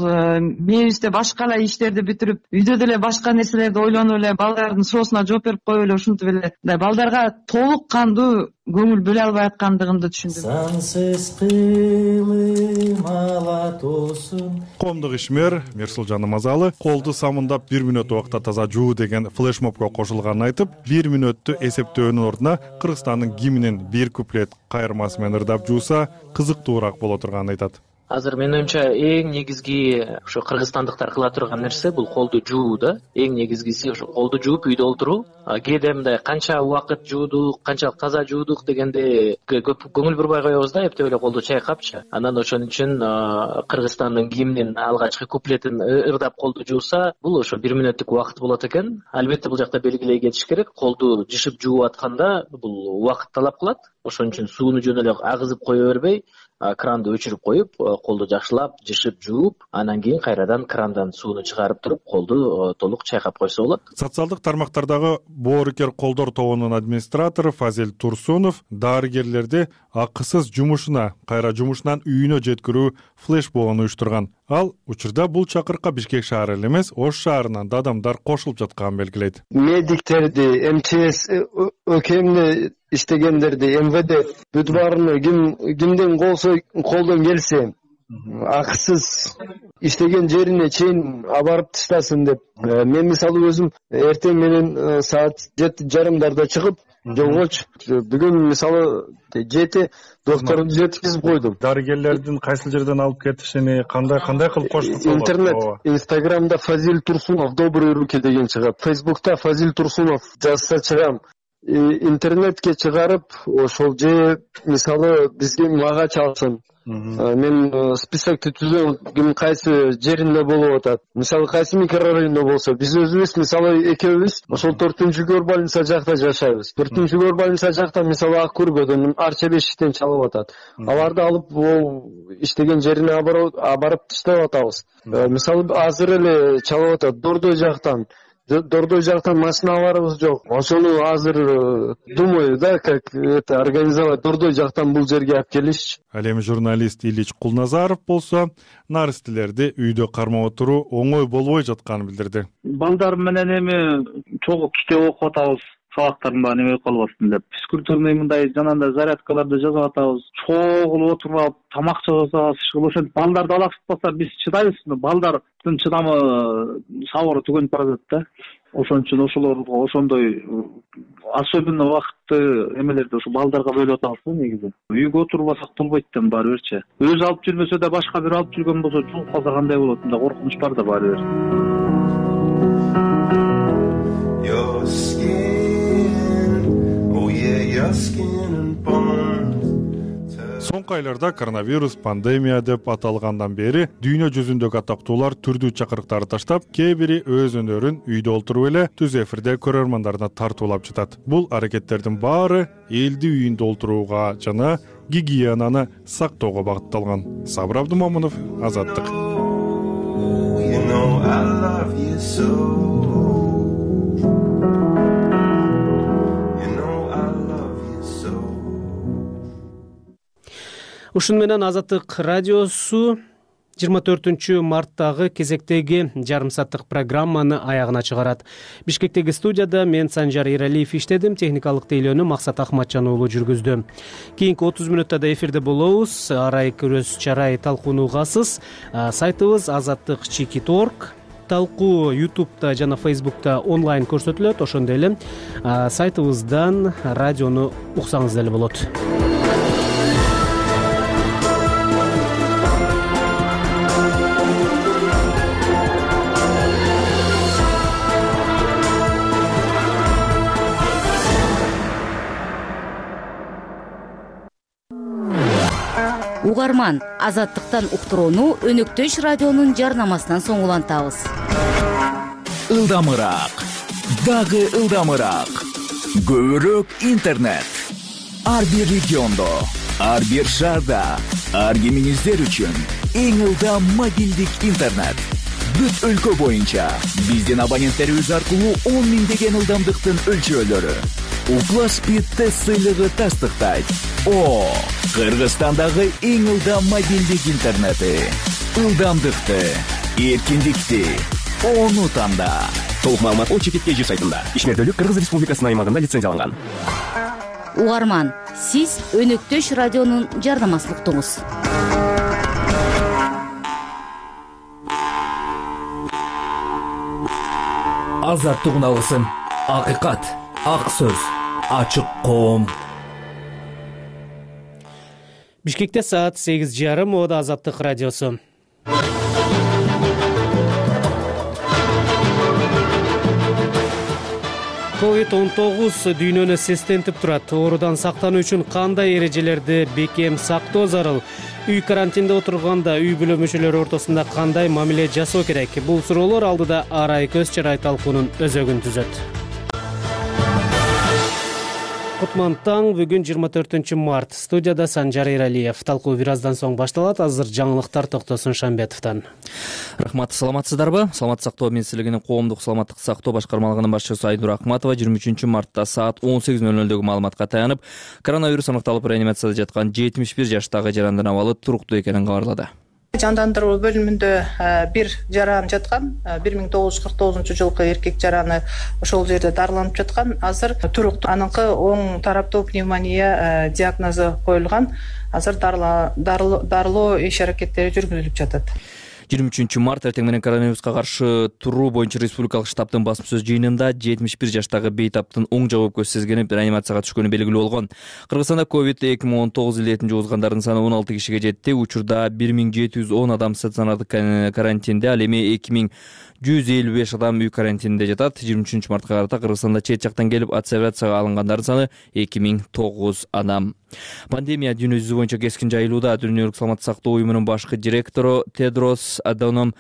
мээбизде башка эле иштерди бүтүрүп, үйдө деле башка нерселерди ойлонуп эле балдардын суроосуна жооп берип коюп эле ушинтип эле балдарга толук кандуу көңүл бөлө албай аткандыгымды түшүндүм. Сансыз кылым алатосун. Коомдук ишмер Мирсулжан Намазалы колду самындап бир мүнөт убакта таза жуу деген флешмобко кошулганын айтып, бир мүнөттү эсептөөнүн ордуна Кыргызстандын гимнин бир куплет кайырмасы менен ырдап жууса кызыктуураак боло турганын айтат. Азыр менин оюмча эң негизги ошо кыргызстандыктар кыла турган нерсе бул колду жуу да. Эң негизгиси ошо колду жууп үйдө отуруу. Кээде мындай канча убакыт жуудук, канчалык таза жуудук дегенде көп көңүл бурбай коебуз да, эптеп эле колду чайкапчы. Анан ошон үчүн Кыргызстандын гимнин алгачкы куплетин ырдап колду жууса, бул ошо бир мүнөттүк убакыт болот экен. Албетте бул жакта белгилей кетиш керек. Колду жышып жууп атканда бул убакыт талап кылат. Ошон үчүн сууну жөн эле агызып кое бербей, кранды өчүрүп коюп, колду жакшылап жышып жууп, анан кийин кайрадан крандан сууну чыгарып туруп, колду толук чайкап койсо болот. Социалдык тармактардагы боорукер колдор тобунун администратору Фазил Турсунов дарыгерлерди акысыз жумушуна, кайра жумушунан үйүнө жеткирүү флешмобун уюштурган. Ал учурда бул чакырыкка Бишкек шаары эле эмес, Ош шаарынан да адамдар кошулуп жатканын белгилейт. Медиктерди, эм че эс ÖKM'de иштегендерди, эм вэ дэ бүт баарыны ким кимден колсо колдон келсе акысыз иштеген жерине чейин абарып таштасын деп. Мен мисалы өзүм эртең менен саат жети жарымдарда чыгып жолго чыгып, бүгүн мисалы жети докторду жеткизип койдум. Дарыгерлердин кайсы жерден алып кетишини, кандай кандай кылып коштук? Интернет, Инстаграмда Фазил Турсунов добрые руки деген чыгат. Фейсбукта Фазил Турсунов жазса чыгам. Интернетке чыгарып, ошол же мисалы бизге мага чалсын. Мен списокты түзөм, ким кайсы жеринде болуп атат. Мисалы кайсы микрорайондо болсо, биз өзүбүз мисалы экөөбүз ошол төртүнчү көр больница жакта жашайбыз. төртүнчү көр больница жакта мисалы Ак Көргөдөн Арча бешиктен чалып атат. Аларды алып ол иштеген жерине абарып таштап атабыз. Мисалы азыр эле чалып атат Дордой жактан. Дордой жактан машиналарыбыз жок. Ошону азыр думаю, да, как это организовать Дордой жактан бул жерге алып келишчи. Ал эми журналист Ильич Кулназаров болсо, наристелерди үйдө кармап отуруу оңой болбой жатканын билдирди. Балдар менен эми чогуу китеп окуп атабыз. Сабактарын баары неме калбасын деп. Физкультурный мындай жанагындай зарядкаларды жазып атабыз. Чогулуп отуруп, тамак жасабыз, ошентип балдарды алаксытпаса биз чыдайбыз. Балдардын чыдамы сабыры түгөнүп барат да. Ошон үчүн ошолорго ошондой особенно убакытты эмелерди ошо балдарга бөлүп атабыз да негизи. Үйгө отурбасак болбойт да баары бирчи. Өзү алып жүрмөсө да башка бир алып жүргөн болсо жугуп калса кандай болот? Мындай коркунуч бар да баары бир. Соңку айларда коронавирус пандемия деп аталгандан бери дүйнө жүзүндөгү атактуулар түрдүү чакырыктарды таштап, кээ бири өз өнөрүн үйдө олтуруп эле түз эфирде көрөрмандарына тартуулап жатат. Бул аракеттердин баары элди үйүндө олтурууга жана гигиенаны сактоого багытталган. Сабыр Абдумомунов, Азаттык. Ушун менен Азаттык радиосу жыйырма төртүнчү марттагы кезектеги жарым сааттык программаны аягына чыгарат. Бишкектеги студияда мен Санжар Иралиев иштедим, техникалык тейлөөнү Максат Ахматжан уулу жүргүздү. Кийинки отуз мүнөттө да эфирде болобуз. Арай көрөс чарай талкуугасыз. Сайтыбыз азаттык чекит точка орг. Талкуу ютубта жана фейсбукта онлайн көрсөтүлөт. Ошондой эле сайтыбыздан радиону уксаңыз деле болот. Угарман, Азаттыктан уктурууну Өнөктөш радионун жарнамасынан соң улантабыз. Ылдамыраак, дагы ылдамыраак. Көбүрөөк интернет. Ар бир региондо, ар бир шаарда, ар кимиңиздер үчүн эң ылдам мобилдик интернет. бүт өлкө боюнча биздин абоненттерибиз аркылуу он миңдеген ылдамдыктын өлчөөлөрү. Укла Speed тест сыйлыгы тастыктайт. О, Кыргызстандагы эң ылдам мобилдик интернети. Ылдамдыкты, эркиндикти ону танда. Толук маалымат о чекит кей жи сайтында. Ишмердүүлүк Кыргыз Республикасынын аймагында лицензияланган. Угарман, сиз Өнөктөш радионун жардамчылыктыңыз. Азаттык алгысын, акыйкат, ак сөз, ачык коом. Бишкекте саат сегиз жарым, Мода Азаттык радиосу. ковид он тогуз дүйнөнү сестентип турат. Оорудан сактануу үчүн кандай эрежелерди бекем сактоо зарыл? Үй карантинде отурганда үй бүлө мүчөлөрү ортосунда кандай мамиле жасоо керек? Бул суроолор алдыда арай көз чарай талкуунун өзөгүн түзөт. Кутман таң, бүгүн жыйырма төртүнчү март. Студияда Санжар Эралиев. Талкуу бир аздан соң башталат. Азыр жаңылыктар Токтосун Шамбетовдон. Рахмат, саламатсыздарбы? Саламаттык сактоо министрлигинин коомдук саламаттык сактоо башкармалыгынын башчысы Айнур Акматова жыйырма үчүнчү мартта саат он сегиз ноль нөлдөгү маалыматка таянып, коронавирус аныкталып реанимацияда жаткан жетимиш бир жаштагы жарандын абалы туруктуу экенин кабарлады. Жандандыруу бөлүмүндө бир жаран жаткан, бир миң тогуз жүз кырк тогузунчу жылкы эркек жараны ошол жерде дарыланып жаткан. Азыр туруктуу, аныкы оң тараптуу пневмония диагнозу коюлган. Азыр дарылоо иш аракеттери жүргүзүлүп жатат. жыйырма үчүнчү март эртең менен коронавируска каршы туруу боюнча республикалык штабтын басма сөз жыйынында жетимиш бир жаштагы бейтаптын оң жак өпкөсү сезгенип реанимацияга түшкөнү белгилүү болгон. Кыргызстанда ковид эки миң он тогуз илдетин жугузгандардын саны он алты кишиге жетти. Учурда бир миң жети жүз он адам стационардык карантинде, ал эми эки миң жүз элүү беш адам үй карантининде жатат. жыйырма үчүнчү мартка карата Кыргызстанда чет жактан келип изоляцияга алынгандардын саны эки миң тогуз адам. Пандемия дүйнө жүзү боюнча кескин жайылууда. Дүйнөлүк саламаттык сактоо уюмунун башкы директору Тедрос Аданом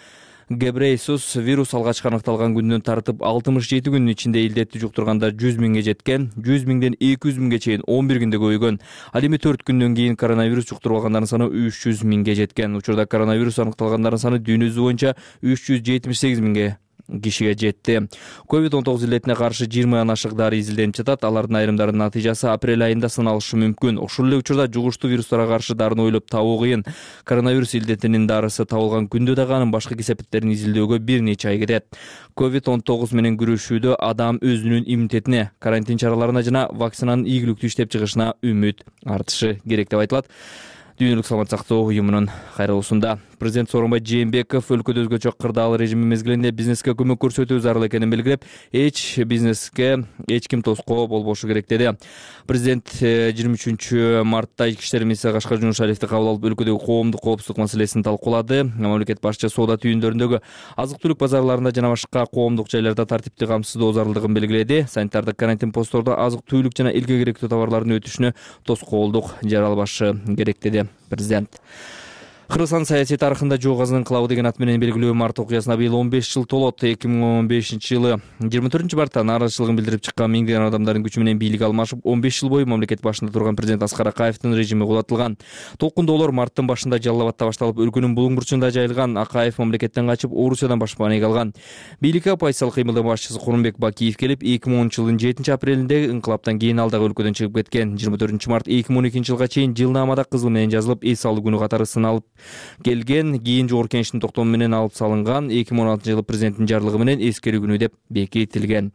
Гебрейсус вирус алгачкы аныкталган күндөн тартып алтымыш жети күнүн ичинде илдетти жуктургандар жүз миңге жеткен, жүз миңден эки жүз миңге чейин он бир күндө көбөйгөн. Ал эми төрт күндөн кийин коронавирус жуктуруп алгандардын саны үч жүз миңге жеткен. Учурда коронавирус аныкталгандардын саны дүйнө жүзү боюнча үч жүз жетимиш сегиз миңге кишиге жетти. ковид он тогуз илдетине каршы жыйырмадан ашык дары изилденип жатат. Алардын айрымдарынын натыйжасы апрель айында сыналышы мүмкүн. Ошол эле учурда жугуштуу вирустарга каршы дарыны ойлоп табуу кыйын. Коронавирус илдетинин дарысы табылган күндө дагы анын башкы кесепеттерин изилдөөгө бир нече ай кетет. ковид он тогуз менен күрөшүүдө адам өзүнүн иммунитетине, карантин чараларына жана вакцинанын ийгиликтүү иштеп чыгышына үмүт артышы керек деп айтылат Дүйнөлүк саламаттык сактоо уюмунун кайрылуусунда. Президент Сооронбай Жээнбеков өлкөдө өзгөчө кырдаал режими мезгилинде бизнеске көмөк көрсөтүү зарыл экенин белгилеп, эч бизнеске эч ким тоскоо болбошу керек деди. Президент жыйырма үчүнчү мартта ички иштер министри Кашкар Жунушалиевди кабыл алып, өлкөдөгү коомдук коопсуздук маселесин талкуулады. Мамлекет башчысы соода түйүндөрүндөгү азык-түлүк базарларында жана башка коомдук жайларда тартипти камсыздоо зарылдыгын белгиледи. Санитардык карантин посттордо азык-түлүк жана элге керектүү товарлардын өтүшүнө тоскоолдук жаралбашы керек деди президент. Кыргызстан саясий тарыхында жок азын инкылабы деген ат менен белгилүү март окуясына быйыл он беш жыл толот. эки миң он бешинчи жылы жыйырма төртүнчү мартта нааразычылыгын билдирип чыккан миңдеген адамдардын күчү менен бийлик алмашып, он беш жыл бою мамлекет башында турган президент Аскар Акаевдин режими кулатылган. Толкундоолор марттын башында Жалал Абадта башталып, өлкөнүн булуң бурчунда жайылган. Акаев мамлекеттен качып, Орусиядан башпана эге алган. Бийликке оппозициялык кыймылдын башчысы Курманбек Бакиев келип, эки миң онунчу жылдын жетинчи апрелинде инкылаптан кийин ал дагы өлкөдөн чыгып кеткен. жыйырма төртүнчү март эки миң он экинчи жылга чейин жылнаамада кызыл менен жазылып, эс алуу күнү катары сыналып келген. Кийин жогорку кеңештин токтому менен алып салынган. эки миң он алтынчы жылы президенттин жарлыгы менен эскерүү күнү деп бекитилген.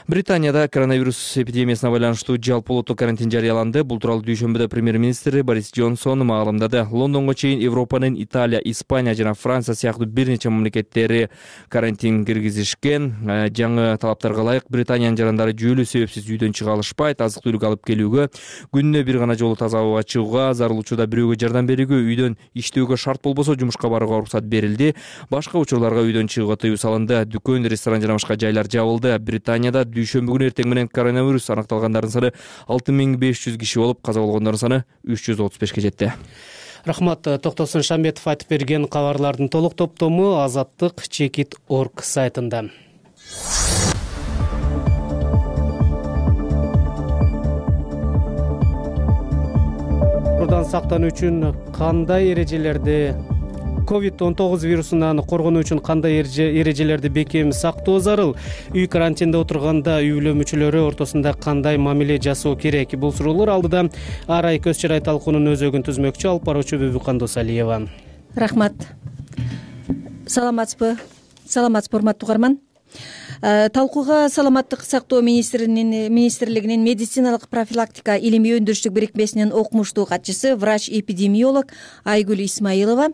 Британияда коронавирус эпидемиясына байланыштуу жалпы улуттук карантин жарыяланды. Бул тууралуу дүйшөмбүдө премьер-министри Борис Джонсон маалымдады. Лондонго чейин Европанын Италия, Испания жана Франция сыяктуу бир нече мамлекеттери карантин киргизишкен. Жаңы талаптарга ылайык Британиянын жарандары жүйөлүү себепсиз үйдөн чыга алышпайт. Азык-түлүк алып келүүгө, күнүнө бир гана жолу таза абага чыгууга, зарыл учурда бирөөгө жардам берүүгө, үйдөн иштөөгө шарт болбосо жумушка барууга уруксат берилди. Башка учурларга үйдөн чыгууга тыюу салынды. Дүкөн, ресторан жана башка жайлар жабылды. Британияда дүйшөмбү күнү эртең менен коронавирус аныкталгандардын саны алты миң беш жүз киши болуп, каза болгондордун саны үч жүз отуз бешке жетти. Рахмат. Токтосун Шамбетов айтып берген кабарлардын толук топтому азаттык чекит точка орг сайтында. Оорудан сактануу үчүн кандай эрежелерди ковид он тогуз вирусунан коргонуу үчүн кандай эрежелерди бекем сактоо зарыл? Үй карантинде отурганда үй бүлө мүчөлөрү ортосунда кандай мамиле жасоо керек? Бул суроолор алдыда ар ай көз чырай талкуунун өзөгүн түзмөкчү алып баруучу Бүбү Кандосалиева. Рахмат. Саламатсызбы? Саламатсызбы, урматтуу угарман? Талкууга саламаттык сактоо министринин министрлигинин медициналык профилактика илимий өндүрүштүк бирикмесинин окумуштуу катчысы, врач-эпидемиолог Айгүл Исмаилова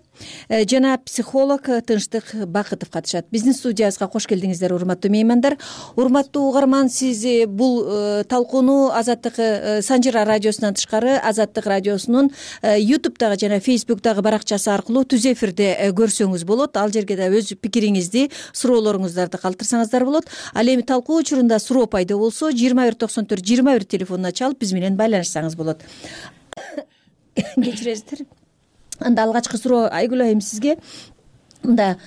жана психолог Тынчтык Бакытов катышат. Биздин студиябызга кош келдиңиздер, урматтуу меймандар. Урматтуу угарман, сиз бул талкууну Азаттык Санжыра радиосунан тышкары Азаттык радиосунун ютубтагы жана фейсбуктагы баракчасы аркылуу түз эфирде көрсөңүз болот. Ал жерге да өз пикириңизди, суроолоруңуздарды калтырсаңыздар болот. Ал эми талкуу учурунда суроо пайда болсо жыйырма бир токсон төрт жыйырма бир телефонуна чалып биз менен байланышсаңыз болот. Кечиресиздер. Анда алгачкы суроо Айгүл айым сизге. Мында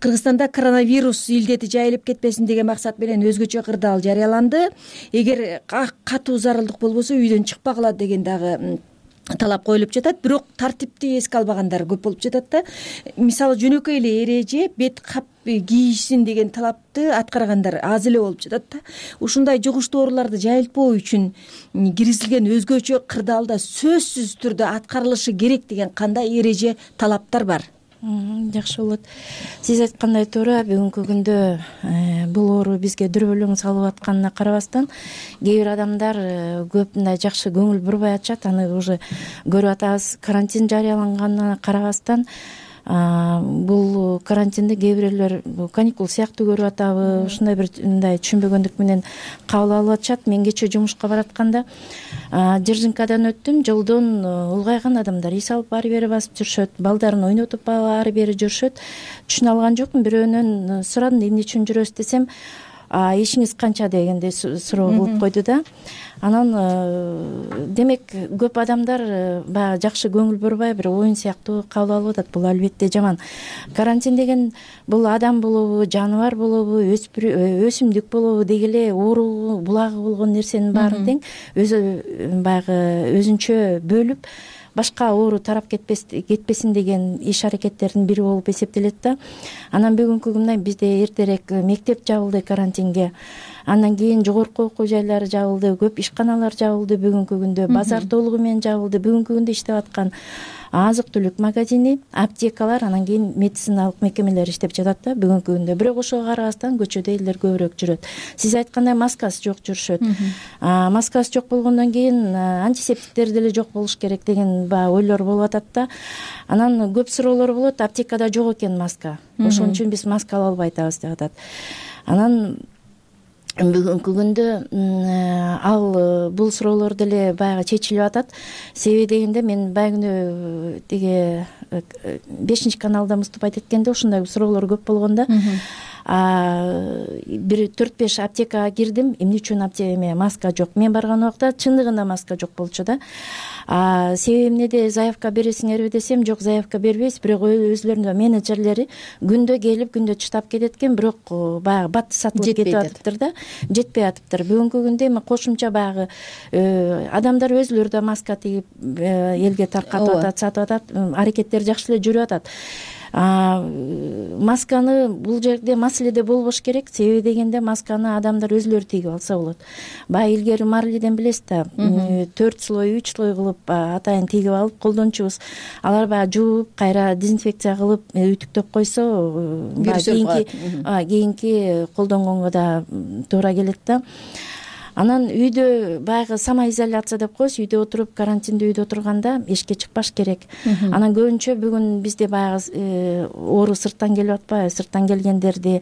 Кыргызстанда коронавирус илдети жайылып кетпесин деген максат менен өзгөчө кырдаал жарыяланды. Эгер катуу зарылдык болбосо үйдөн чыкпагыла деген дагы талап коюлуп жатат. Бирок тартипти эске албагандар көп болуп жатат да. Мисалы жөнөкөй эле эреже бет кап кийишсин деген талапты аткаргандар аз эле болуп жатат да. Ушундай жугуштуу ооруларды жайылтпоо үчүн киргизилген өзгөчө кырдаалда сөзсүз түрдө аткарылышы керек деген кандай эреже, талаптар бар? Жакшы болот. Сиз айткандай туура, бүгүнкү күндө бул оору бизге дүрбөлөң салып атканына карабастан, кээ бир адамдар көп мындай жакшы көңүл бурбай атышат. Аны уже көрүп атабыз. Карантин жарыяланганына карабастан, бул карантинди кээ бирлер каникул сыяктуу көрүп атабы, ушундай бир мындай түшүнбөгөндүк менен кабыл алып атышат. Мен кечээ жумушка баратканда Жыржынкадан өттүм. Жолдон улгайган адамдар эс алып ары бери басып жүрүшөт, балдарын ойнотуп ары бери жүрүшөт. Түшүнө алган жокмун. Бирөөнөн сурадым, эмне үчүн жүрөсүз десем, ишиңиз канча дегенде суроо кылып койду да. Анан демек көп адамдар баягы жакшы көңүл бурбай бир оюн сыяктуу кабыл алып атат. Бул албетте жаман. Карантин деген бул адам болобу, жаныбар болобу, өсүмдүк болобу деги эле оору булагы болгон нерсенин баарын тең өзү баягы өзүнчө бөлүп башка оору тарап кетпесин деген иш аракеттердин бири болуп эсептелет да. Анан бүгүнкү күндө бизде эртерээк мектеп жабылды карантинге. Андан кийин жогорку окуу жайлары жабылды, көп ишканалар жабылды бүгүнкү күндө, базар толугу менен жабылды. Бүгүнкү күндө иштеп аткан азык-түлүк магазини, аптекалар, анан кийин медициналык мекемелер иштеп жатат да бүгүнкү күндө. Бирок ошого карабастан көчөдө элдер көбүрөөк жүрөт. Сиз айткандай маскасы жок жүрүшөт. Маскасы жок болгондон кийин антисептиктер деле жок болуш керек деген баягы ойлор болуп атат да. Анан көп суроолор болот, аптекада жок экен маска. Ошон үчүн биз маска ала албай атабыз деп атат. Анан бүгүнкү күндө ал бул суроолор деле баягы чечилип атат. Себеби дегенде мен баягы тиги бешинчи каналда выступать эткенде ушундай суроолор көп болгондо бир төрт беш аптекага кирдим. Эмне үчүн аптекада маска жок? Мен барган убакта чындыгында маска жок болчу да. Себеби эмнеде, заявка бересиңерби десем, жок, заявка бербейбиз. Бирок өзлөрүнүн менеджерлери күндө келип, күндө чыдап кетет экен, бирок баягы бат сатылып кетип атыптыр да, жетпей атыптыр. Бүгүнкү күндө эми кошумча баягы адамдар өзүлөрү да маска тигип элге таркатып атат, сатып атат, аракеттер жакшы эле жүрүп атат. Масканы бул жерде маселеде болбош керек. Себеби дегенде масканы адамдар өзүлөрү тигип алса болот. Баягы илгери марлиден билесиз да, төрт слой, үч слой кылып атайын тигип алып колдончубуз. Алар баягы жууп, кайра дезинфекция кылып үтүктөп койсо, кийинки колдонгонго да туура келет да. Анан үйдө баягы самоизоляция деп коебуз, үйдө отуруп, карантинде үйдө отурганда эшикке чыкпаш керек. Анан көбүнчө бүгүн бизде баягы оору сырттан келип атпайбы, сырттан келгендерди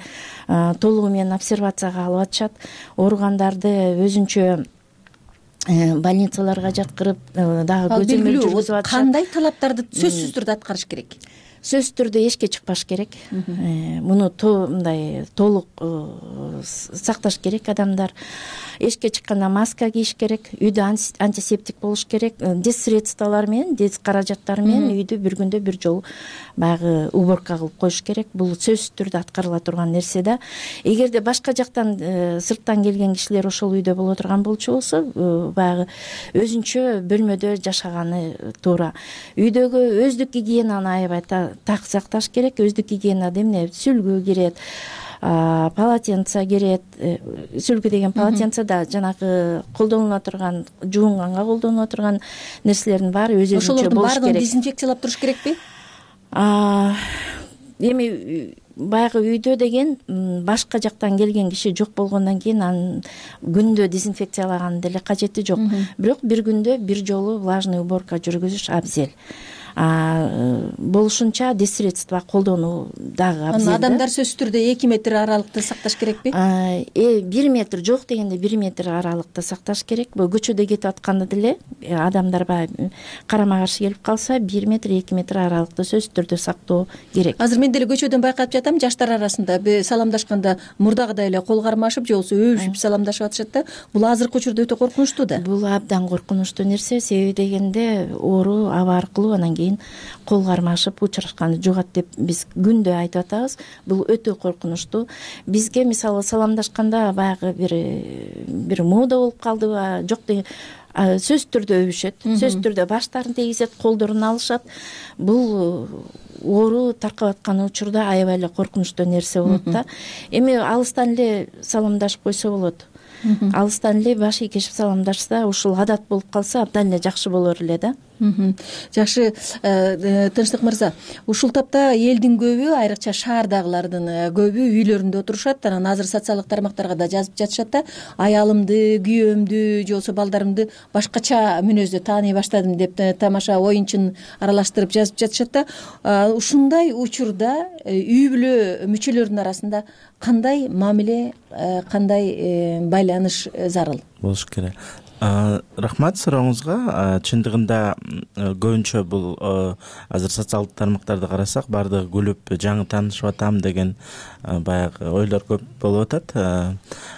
толугу менен обсервацияга алып атышат. Ооругандарды өзүнчө больницаларга жаткырып дагы көзөмөл жүргүзүп атышат. Кандай талаптарды сөзсүз түрдө аткарыш керек? Сөзсүз түрдө эшикке чыкпаш керек. Муну мындай толук сакташ керек адамдар. Эшикке чыкканда маска кийиш керек, үйдө антисептик болуш керек, дез средстволор менен, дез каражаттар менен үйдү бир күндө бир жолу баягы уборка кылып коюш керек. Бул сөзсүз түрдө аткарыла турган нерсе да. Эгерде башка жактан сырттан келген кишилер ошол үйдө боло турган болчу болсо, баягы өзүнчө бөлмөдө жашаганы туура. Үйдөгү өздүк гигиенаны аябай так сакташ керек. Өздүк гигиенада эмне сүлгү кирет, полотенце кирет. Сүлгү деген полотенце да жанагы колдонула турган, жуунганга колдонула турган нерселердин баары өз өзүнчө болуш керек. Ошолордун баарын дезинфекциялап туруш керекпи? Эми баягы үйдө деген башка жактан келген киши жок болгондон кийин анын күндө дезинфекциялаган деле кажети жок. Бирок бир күндө бир жолу влажный уборка жүргүзүш абзел. Болушунча дес средства колдонуу дагы абзел. Адамдар сөзсүз түрдө эки метр аралыкты сакташ керекпи? Бир метр жок дегенде бир метр аралыкты сакташ керек. Бул көчөдө кетип атканда деле адамдар баягы карама каршы келип калса бир метр эки метр аралыкты сөзсүз түрдө сактоо керек. Азыр мен деле көчөдөн байкап жатам, жаштар арасында саламдашканда мурдагыдай эле кол кармашып же болбосо өбүшүп саламдашып атышат да. Бул азыркы учурда өтө коркунучтуу да. Бул абдан коркунучтуу нерсе. Себеби дегенде оору аба аркылуу анан кийин кол кармашып учурашканды жугат деп биз күндө айтып атабыз. Бул өтө коркунучтуу. Бизге мисалы саламдашканда баягы бир бир мода болуп калдыбы, жок деген сөзсүз түрдө өбүшөт, сөзсүз түрдө баштарын тийгизет, колдорун алышат. Бул оору таркап аткан учурда аябай эле коркунучтуу нерсе болот да. Эми алыстан эле саламдашып койсо болот. Алыстан эле баш ийкешип саламдашса, ушул адат болуп калса абдан эле жакшы болор эле да. Жакшы, Тынчтык мырза, ушул тапта элдин көбү, айрыкча шаардагылардын көбү үйлөрүндө отурушат. Анан азыр социалдык тармактарга да жазып жатышат да, аялымды, күйөөмдү же болбосо балдарымды башкача мүнөздө тааный баштадым деп тамаша оюнчун аралаштырып жазып жатышат да. Ушундай учурда үй бүлө мүчөлөрүнүн арасында кандай мамиле, кандай байланыш зарыл болуш керек? Рахмат сурооңузга. Чындыгында көбүнчө бул азыр социалдык тармактарды карасак, баардыгы күлүп жаңы таанышып атам деген баягы ойлор көп болуп атат.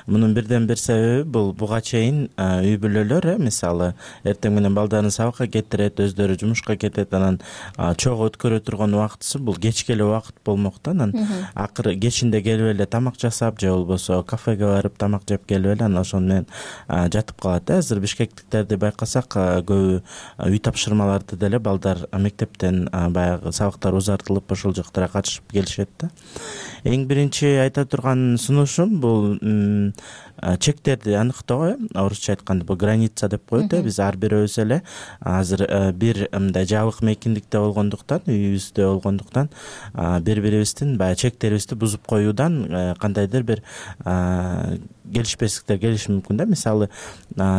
Мунун бирден бир себеби бул буга чейин үй бүлөлөр, мисалы, эртең менен балдарын сабакка кетирет, өздөрү жумушка кетет, анан чогуу өткөрө турган убактысы бул кечке эле убакыт болмок да. Анан акыры кечинде келип эле тамак жасап же болбосо кафеге барып тамак жеп келип эле анан ошону менен жатып калат да. Бишкектиктерди байкасак, көбү үй тапшырмаларды деле балдар мектептен баягы сабактар узартылып ошол жактара катышып келишет да. Эң биринчи айта турган сунушум бул чектерди аныктоо. Орусча айтканда бул граница деп коет. Биз ар бирөөбүз эле азыр бир мындай жабык мейкиндикте болгондуктан, үйүбүздө болгондуктан бири бирибиздин баягы чектерибизди бузуп коюудан кандайдыр бир келишпестиктер келиши мүмкүн да. Мисалы,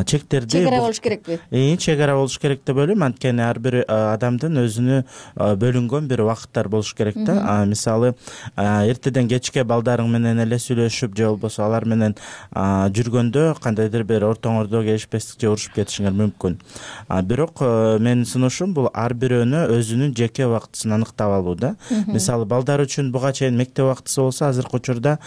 чектерди чек ара болуш керекпи? Э, чек ара болуш керек деп ойлойм. Анткени ар бир адамдын өзүнө бөлүнгөн бир убакыттар болуш керек да. Мисалы, эртеден кечке балдарың менен эле сүйлөшүп же болбосо алар менен жүргөндө кандайдыр бир ортоңордо келишпестик же урушуп кетишиңер мүмкүн. Бирок менин сунушум бул ар бирөөнө өзүнүн жеке убактысын аныктап алуу да. Мисалы, балдар үчүн буга чейин мектеп убактысы болсо, азыркы учурда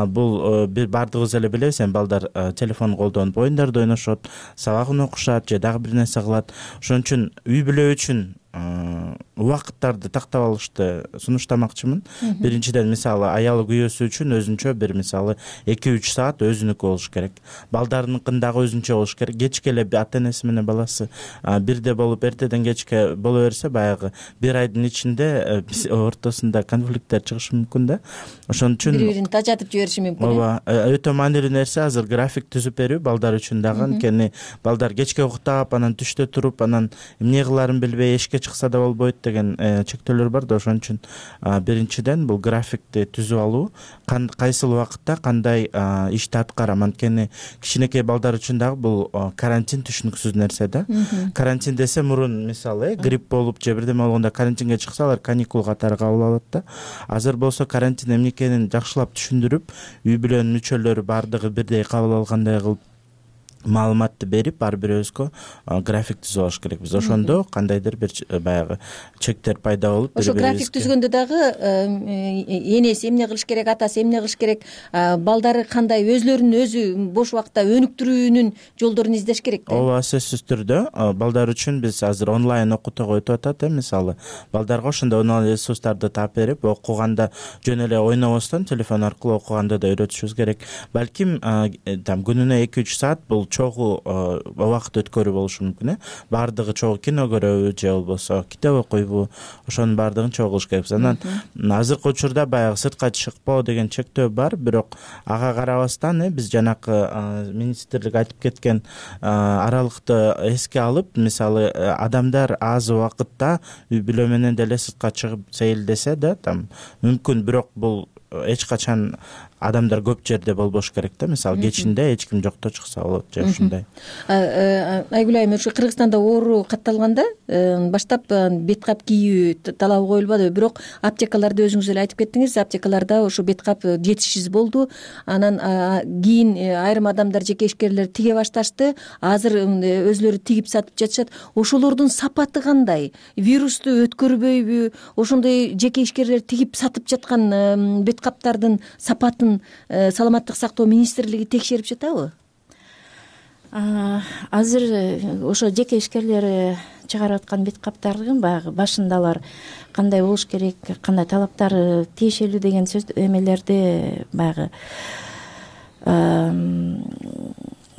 бул бир бардыгыбыз эле билебиз, эми балдар телефон колдонуп оюндарды ойношот, сабагын окушат же дагы бир нерсе кылат. Ошон үчүн үй бүлө үчүн убакыттарды тактап алышты сунуштамакчымын. Биринчиден, мисалы, аялы күйөөсү үчүн өзүнчө бир, мисалы, эки үч саат өзүнүкү болуш керек. Балдарыныкын дагы өзүнчө болуш керек. Кечке эле ата энеси менен баласы бирде болуп эртеден кечке боло берсе, баягы бир айдын ичинде ортосунда конфликттер чыгышы мүмкүн да. Ошон үчүн бири-бирин тажатып жибериши мүмкүн. Ооба, өтө маанилүү нерсе азыр график түзүп берүү балдар үчүн дагы. Анткени балдар кечке уктап, анан түштө туруп, анан эмне кылаарын билбей эшикке чыкса да болбойт деген чектөөлөр бар да. Ошон үчүн биринчиден бул графикти түзүп алуу, кайсыл убакытта кандай ишти аткарам. Анткени кичинекей балдар үчүн дагы бул карантин түшүнүксүз нерсе да. Карантин десе, мурун мисалы грипп болуп же бирдеме болгондо карантинге чыкса, алар каникул катары кабыл алат да. Азыр болсо карантин эмне экенин жакшылап түшүндүрүп, үй бүлөнүн мүчөлөрү бардыгы бирдей кабыл алгандай кылып маалыматты берип, ар бирөөбүзгө график түзүп алыш керекпиз. Ошондо кандайдыр бир баягы чектер пайда болуп, ошо график түзгөндө дагы энеси эмне кылыш керек, атасы эмне кылыш керек, балдары кандай өзлөрүн өзү бош убакытта өнүктүрүүнүн жолдорун издеш керек да. Ооба, сөзсүз түрдө балдар үчүн биз азыр онлайн окутууга өтүп атат. Мисалы, балдарга ошондой онлайн ресурстарды таап берип, окуганда жөн эле ойнобостон телефон аркылуу окуганда да үйрөтүшүбүз керек. Балким там күнүнө эки үч саат бул чогуу убакыт өткөрүү болушу мүмкүн. э Баардыгы чогуу кино көрөбү же болбосо китеп окуйбу, ошонун баардыгын чогуу кылыш керек. Анан азыркы учурда баягы сыртка чыкпоо деген чектөө бар, бирок ага карабастан биз жанакы министрлик айтып кеткен аралыкты эске алып, мисалы адамдар аз убакытта үй бүлө менен деле сыртка чыгып сейилдесе да там мүмкүн, бирок бул эч качан адамдар көп жерде болбош керек да. Мисалы кечинде эч ким жокто чыкса болот же ушундай. Айгүл айым, ушу Кыргызстанда оору катталганда баштап бет кап кийүү талабы коюлбадыбы, бирок аптекаларда өзүңүз эле айтып кеттиңиз, аптекаларда ошо бет кап жетишсиз болду. Анан кийин айрым адамдар, жеке ишкерлер тиге башташты. Азыр өзүлөрү тигип сатып жатышат. Ошолордун сапаты кандай? Вирусту өткөрбөйбү? Ошондой жеке ишкерлер тигип сатып жаткан бет каптардын сапатын саламаттык сактоо министрлиги текшерип жатабы? Азыр ошо жеке ишкерлер чыгарып аткан бет каптардын баягы башындалар кандай болуш керек, кандай талаптары тиешелүү деген сөз эмелерди баягы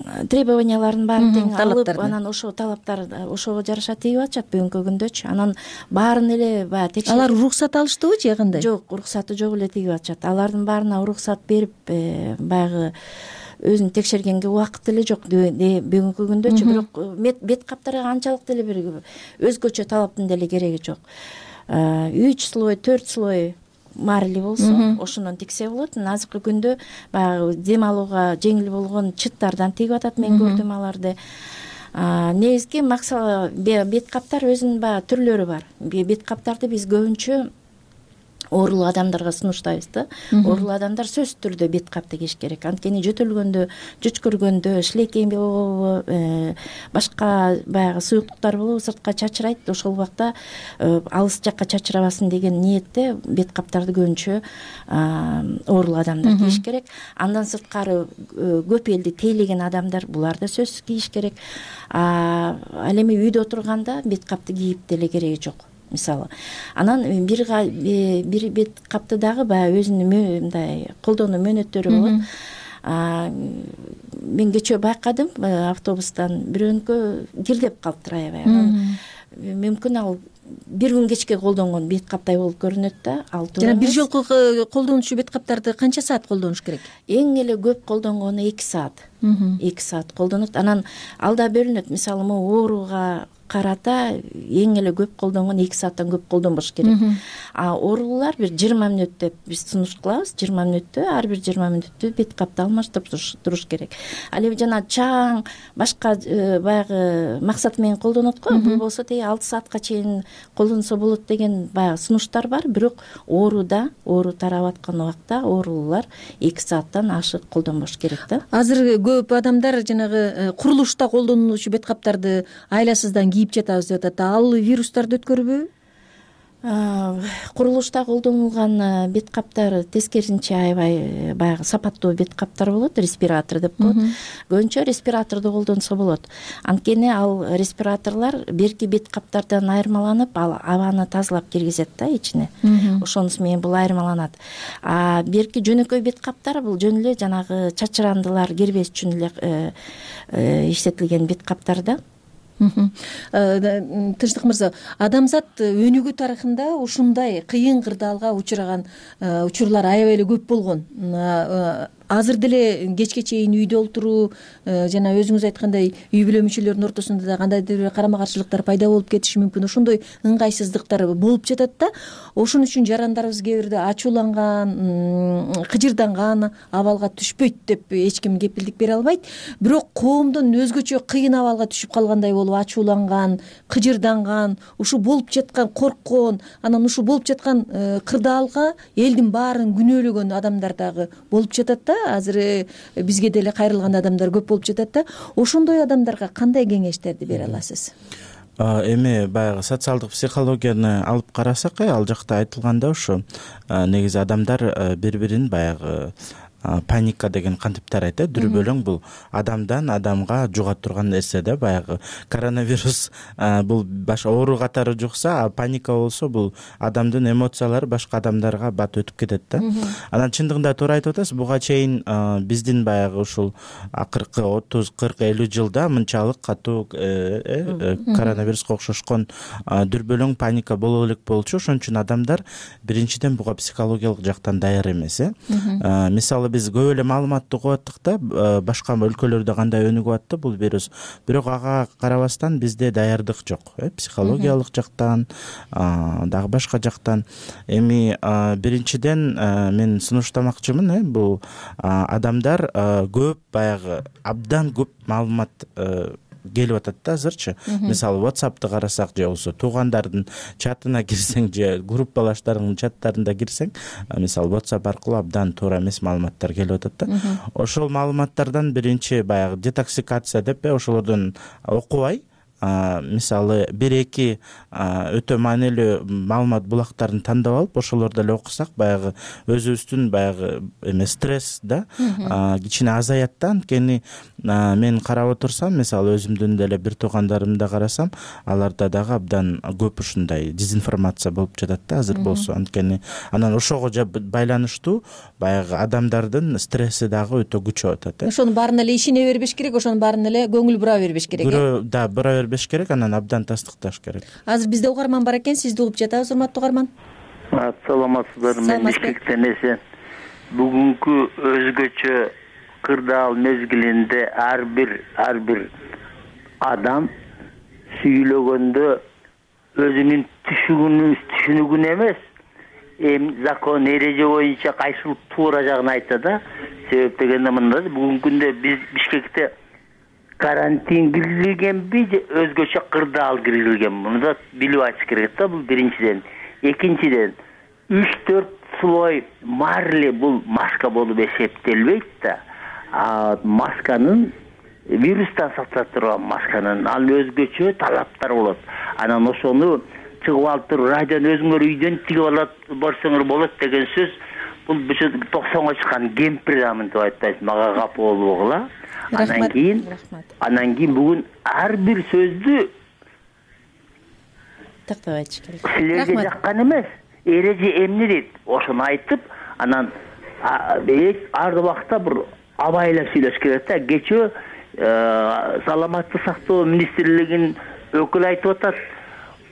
требованияларын баарын тең алып, анан ошо талаптар ошого жараша тигип атышат бүгүнкү күндөчү. Анан баарын эле баягы текшерип. Алар уруксат алыштыбы же кандай? Жок, уруксаты жок эле тигип атышат. Алардын баарына уруксат берип, баягы өзүн текшергенге убакыт эле жок бүгүнкү күндөчү. Бирок бет каптарга анчалык деле бир өзгөчө талаптын деле кереги жок. үч слой, төрт слой марли болсо ошондон тиксе болот. Азыркы күндө баягы дем алууга жеңил болгон чыттардан тигип атат, мен көрдүм аларды. Негизги максат бет каптар өзүнүн баягы түрлөрү бар. Бет каптарды биз көбүнчө оорулуу адамдарга сунуштайбыз да. Оорулуу адамдар сөзсүз түрдө бет капты кийиш керек. Анткени жөтөлгөндө, жүчкүргөндө, шилекейин болобу, башка баягы суюктуктар болобу сыртка чачырайт. Ошол убакта алыс жакка чачырабасын деген ниетте бет каптарды көбүнчө оорулуу адамдар кийиш керек. Андан сырткары көп элди тейлеген адамдар, булар да сөзсүз кийиш керек. Ал эми үйдө отурганда бет капты кийип деле кереги жок. Мисалы, анан бир бир бет капты дагы баягы өзүнүн мындай колдонуу мөөнөттөрү болот. Мен кечээ байкадым, автобустан бирөөнүкө кирдеп калыптыр аябай. Мүмкүн ал бир күн кечке колдонгон бет каптай болуп көрүнөт да. Ал туура. Жана бир жолку колдонуучу бет каптарды канча саат колдонуш керек? Эң эле көп колдонгону эки саат. эки саат колдонот. Анан алда бөлүнөт. Мисалы, могу ооруга карата эң эле көп колдонгон эки сааттан көп колдонбош керек. А оорулуулар бир жыйырма мүнөт деп биз сунуш кылабыз. жыйырма мүнөттө, ар бир жыйырма мүнөттө бет капты алмаштырып туруш керек. Ал эми жана чаң башка баягы максат менен колдонот го. Бул болсо теги алты саатка чейин колдонсо болот деген баягы сунуштар бар. Бирок ооруда, оору тарап аткан убакта оорулуулар эки сааттан ашык колдонбош керек да. Азыр көп адамдар жанагы курулушта колдонулуучу бет каптарды айласыздан кийип жатабыз деп атат. Ал вирустарды өткөрбөйбү? Курулушта колдонулган бет каптар тескерисинче аябай баягы сапаттуу бет каптар болот, респиратор деп коет. Көбүнчө респираторду колдонсо болот. Анткени ал респираторлор берки бет каптардан айырмаланып, ал абаны тазалап киргизет да ичине. Ошонусу менен бул айырмаланат. А берки жөнөкөй бет каптар бул жөн эле жанагы чачырандылар кирбеш үчүн эле иштетилген бет каптар да. Тынчтык мырза, адамзат өнүгүү тарыхында ушундай кыйын кырдаалга учураган учурлар аябай эле көп болгон. Азыр деле кечке чейин үйдө олтуруу жана өзүңүз айткандай үй бүлө мүчөлөрүнүн ортосунда да кандайдыр бир карама каршылыктар пайда болуп кетиши мүмкүн. Ошондой ыңгайсыздыктар болуп жатат да. Ошон үчүн жарандарыбыз кээ бирде ачууланган, кыжырданган абалга түшпөйт деп эч ким кепилдик бере албайт. Бирок коомдон өзгөчө кыйын абалга түшүп калгандай болуп ачууланган, кыжырданган, ушу болуп жаткан корккон, анан ушу болуп жаткан кырдаалга элдин баарын күнөөлөгөн адамдар дагы болуп жатат да. Азыр бизге деле кайрылган адамдар көп болуп жатат да. Ошондой адамдарга кандай кеңештерди бере аласыз? Эми баягы социалдык психологияны алып карасак, ал жакта айтылганда ушу негизи адамдар бири-бирин баягы паника деген кантип тарайт э дүрбөлөң бул адамдан адамга жуга турган нерсе да. Баягы коронавирус бул башка оору катары жукса, а паника болсо бул адамдын эмоциялары башка адамдарга бат өтүп кетет да. Анан чындыгында туура айтып атасыз, буга чейин биздин баягы ушул акыркы отуз кырк элүү жылда мынчалык катуу коронавируска окшошкон дүрбөлөң паника боло элек болчу. Ошон үчүн адамдар биринчиден буга психологиялык жактан даяр эмес э мисалы биз көп эле маалыматты угуп аттык да, башка өлкөлөрдө кандай өнүгүп атты бул вирус, бирок ага карабастан бизде даярдык жок э психологиялык жактан дагы башка жактан. Эми биринчиден мен сунуштамакчымын э бул адамдар көп баягы абдан көп маалымат келип атат да азырчы. Мисалы WhatsApp'ты карасак же болбосо туугандардын чатына кирсең же группалаштардын чаттарына кирсең, мисалы WhatsApp аркылуу абдан туура эмес маалыматтар келип атат да. Ошол маалыматтардан биринчи баягы детоксикация деп ошолордон окубай, мисалы бир эки өтө маанилүү маалымат булактарын тандап алып ошолорду эле окусак, баягы өзүбүздүн баягы эме стресс да кичине азаят да. Анткени мен карап отурсам, мисалы өзүмдүн деле бир туугандарымды карасам, аларда дагы абдан көп ушундай дезинформация болуп жатат да азыр болсо. Анткени анан ошого байланыштуу баягы адамдардын стресси дагы өтө күчөп атат. Ошонун баарына эле ишене бербеш керек, ошонун баарына эле көңүл бура бербеш керек. Да, бура бербеш керек, анан абдан тастыкташ керек. Азыр бизде угарман бар экен, сизди угуп жатабыз, урматтуу угарман. Саламатсыздарбы, мен Бишкектен эсен. Бүгүнкү өзгөчө кырдаал мезгилинде ар бир ар бир адам сүйлөгөндө өзүнүн түшүнүгүн эмес, эми закон эреже боюнча кайсыл туура жагын айтат да. Себеп дегенде мында бүгүнкү күндө биз Бишкекте карантин киргизилгенби же өзгөчө кырдаал киргизилгенби, муну да билип айтыш керек да. Бул биринчиден. Экинчиден, үч төрт слой марли бул маска болуп эсептелбейт да. А масканын вирустан сактап турган масканын ал өзгөчө талаптар болот. Анан ошону чыгып алып туруп радиону өзүңөр үйдөн тигип алат барсаңар болот деген сөз бул токсонго чыккан кемпир деп айтпайсың, мага капа болбогула. Анан кийин анан кийин бүгүн ар бир сөздү тактап айтыш керек. Силерге жаккан эмес, эреже эмне дейт, ошону айтып, анан ар убакта бир абайлап сүйлөш керек да. Кечээ саламаттык сактоо министрлигинин өкүлү айтып атат,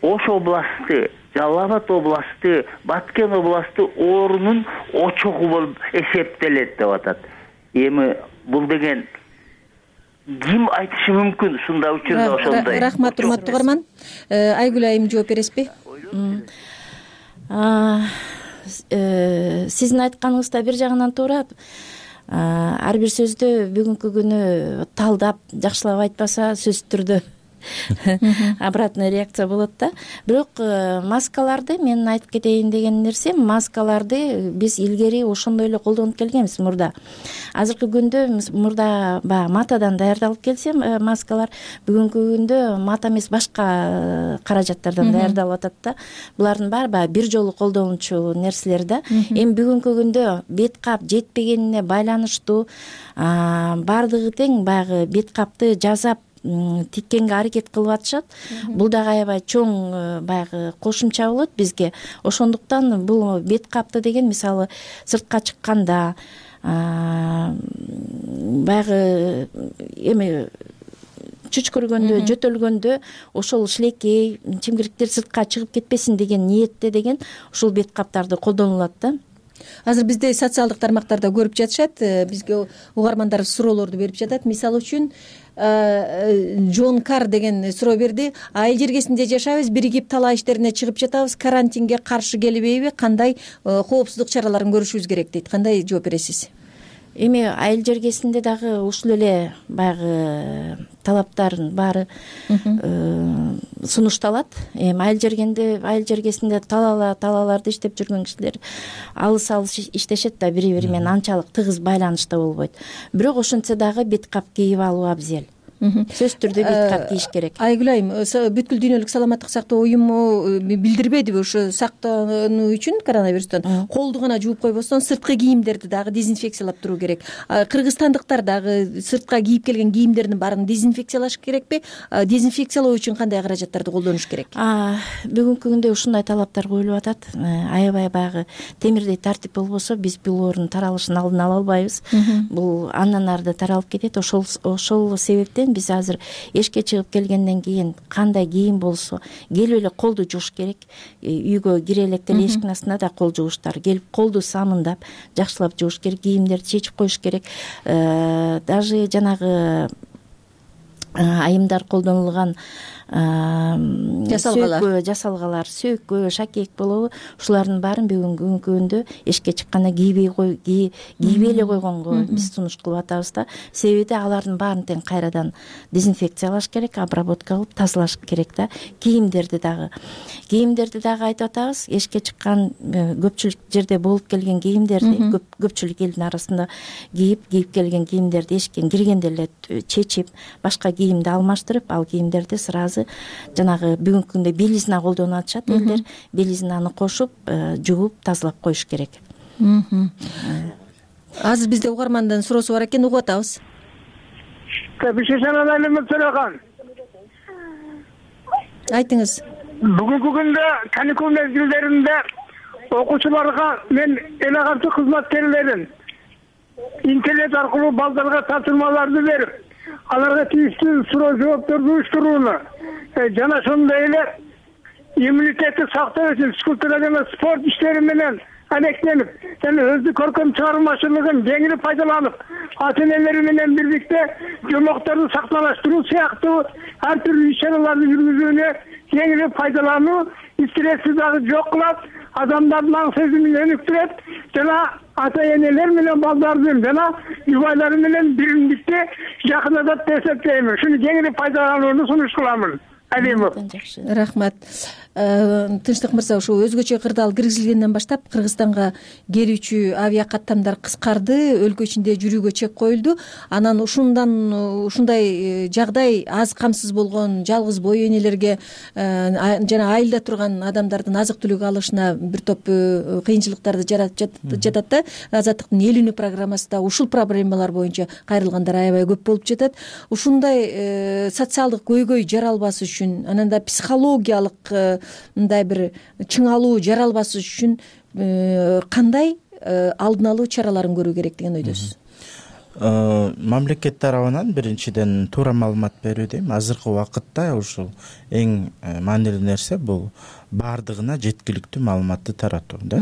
Ош областы, Жалал Абад областы, Баткен областы оорунун очогу болуп эсептелет деп атат. Эми бул деген ким айтышы мүмкүн ушундай учурда ошондой? Рахмат, урматтуу угарман. Айгүл айым жооп бересизби? Сиздин айтканыңызда бир жагынан туура. Ар бир сөздү бүгүнкү күнү талдап, жакшылап айтпаса сөзсүз түрдө обратная реакция болот да. Бирок маскаларды мен айтып кетейин деген нерсем, маскаларды биз илгери ошондой эле колдонуп келгенбиз мурда. Азыркы күндө мурда баягы матадан даярдалып келсе маскалар, бүгүнкү күндө мата эмес башка каражаттардан даярдалып атат да. Булардын баары баягы бир жолу колдонуучу нерселер да. Эми бүгүнкү күндө бет кап жетпегенине байланыштуу баардыгы тең баягы бет капты жасап тиккенге аракет кылып атышат. Бул дагы аябай чоң баягы кошумча болот бизге. Ошондуктан бул бет капты деген мисалы сыртка чыкканда баягы эми чүчкүргөндө, жөтөлгөндө ошол шилекей, чимгириктер сыртка чыгып кетпесин деген ниетте деген ушул бет каптарды колдонулат да. Азыр бизде социалдык тармактарда көрүп жатышат, бизге угармандар суроолорду берип жатат. Мисалы үчүн Джон Кар деген суроо берди. Айыл жергесинде жашайбыз, биригип талаа иштерине чыгып жатабыз. Карантинге каршы келбейби? Кандай коопсуздук чараларын көрүшүбүз керек дейт. Кандай жооп бересиз? Эми айыл жергесинде дагы ушул эле баягы талаптардын баары сунушталат. Эми айыл жергенде, айыл жергесинде талаала талааларды иштеп жүргөн кишилер алыс-алыс иштешет да, бири-бири менен анчалык тыгыз байланышта болбойт. Бирок ошентсе дагы бет кап кийип алуу абзел. сөзсүз түрдө бейткап кийиш керек. Айгүл айым, бүткүл дүйнөлүк саламаттык сактоо уюму билдирбедиби ушу сактануу үчүн коронавирустан колду гана жууп койбостон сырткы кийимдерди дагы дезинфекциялап туруу керек. Кыргызстандыктар дагы сыртка кийип келген кийимдердин баарын дезинфекциялаш керекпи? Дезинфекциялоо үчүн кандай каражаттарды колдонуш керек? Бүгүнкү күндө ушундай талаптар коюлуп атат. Аябай баягы темирдей тартип болбосо биз бул оорунун таралышын алдын ала албайбыз. Бул андан ары таралып кетет. Ошол ошол себептен биз азыр эшикке чыгып келгенден кийин кандай кийим болсо келип эле колду жууш керек. Үйгө кире электе эшиктин астына да кол жуугучтар келип колду самындап жакшылап жууш керек, кийимдерди чечип коюш керек. Даже жанагы айымдар колдонулган жасалгалар жасалгалар сөөккө, шакек болобу, ушулардын баарын бүгүнкү күндө эшикке чыкканда кийбей кой кийбей эле койгонго биз сунуш кылып атабыз да. Себеби алардын баарын тең кайрадан дезинфекциялаш керек, обработка кылып тазалаш керек да. Кийимдерди дагы кийимдерди дагы айтып атабыз. Эшикке чыккан көпчүлүк жерде болуп келген кийимдерди көпчүлүк элдин арасында кийип кийип келген кийимдерди эшиктен киргенде эле чечип, башка кийимди алмаштырып, ал кийимдерди сразу жанагы бүгүнкү күндө белизна колдонуп атышат элдер, белизнаны кошуп жууп тазалап коюш керек. Азыр бизде угармандын суроосу бар экен, угуп атабыз. Айтыңыз. Бүгүнкү күндө каникул мезгилдеринде окуучуларга мен эл агартуу кызматкерлерин интернет аркылуу балдарга тапшырмаларды берип, аларга тийиштүү суроо жоопторду уюштурууну жана ошондой эле иммунитетти сактоо үчүн физкультура жана спорт иштери менен алектенип жана өздүк көркөм чыгармачылыгын кеңири пайдаланып, ата энелери менен бирдикте жомокторду сактанаштыруу сыяктуу ар түрдүү иш-чараларды жүргүзүүнү кеңири пайдалануу стрессти дагы жок кылат, адамдардын аң сезимин өнүктүрөт жана ата энелер менен балдардын жана жубайлары менен биримдикти жакындатат деп эсептейм. Шуну кеңири пайдаланууну сунуш кыламын. Рахмат. Тынчтык мырза, ушу өзгөчө кырдаал киргизилгенден баштап Кыргызстанга келүүчү авиа каттамдар кыскарды, өлкө ичинде жүрүүгө чек коюлду. Анан ушундан ушундай жагдай аз камсыз болгон жалгыз бой энелерге жана айылда турган адамдардын азык түлүк алышына бир топ кыйынчылыктарды жаратып жатат да. Азаттыктын эл үнү программасында ушул проблемалар боюнча кайрылгандар аябай көп болуп жатат. Ушундай социалдык көйгөй жаралбас үчүн, анан да психологиялык мындай бир чыңалуу жаралбас үчүн кандай алдын алуу чараларын көрүү керек деген ойдосуз? Мамлекет тарабынан биринчиден туура маалымат берүү дейм. Азыркы убакытта ушул эң маанилүү нерсе бул баардыгына жеткиликтүү маалыматты таратуу да.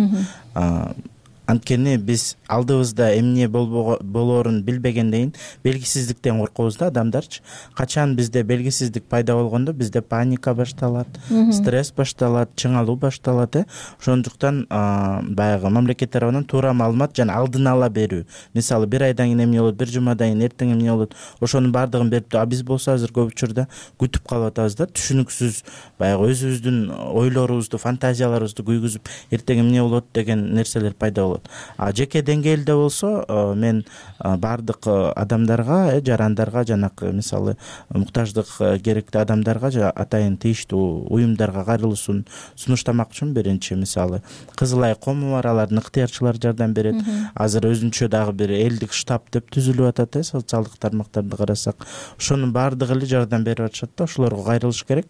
Анткени биз алдыбызда эмне болоорун билбегенден белгисиздиктен коркобуз да адамдарчы. Качан бизде белгисиздик пайда болгондо бизде паника башталат, стресс башталат, чыңалуу башталат э. Ошондуктан баягы мамлекет тарабынан туура маалымат жана алдын ала берүү. Мисалы бир айдан кийин эмне болот, бир жумадан кийин эртең эмне болот, ошонун баардыгын берип, а биз болсо азыр көп учурда күтүп калып атабыз да, түшүнүксүз баягы өзүбүздүн ойлорубузду, фантазияларыбызды күйгүзүп, эртең эмне болот деген нерселер пайда болот. А жеке деңгээлде болсо мен баардык адамдарга, жарандарга, жанакы мисалы муктаждык керектүү адамдарга атайын тийиштүү уюмдарга кайрылуусун сунуштамакчымын. Биринчи мисалы Кызыл Ай кому бар, алардын ыктыярчылары жардам берет. Азыр өзүнчө дагы бир элдик штаб деп түзүлүп атат э, социалдык тармактарды карасак. Ошонун баардыгы эле жардам берип атышат да, ошолорго кайрылыш керек.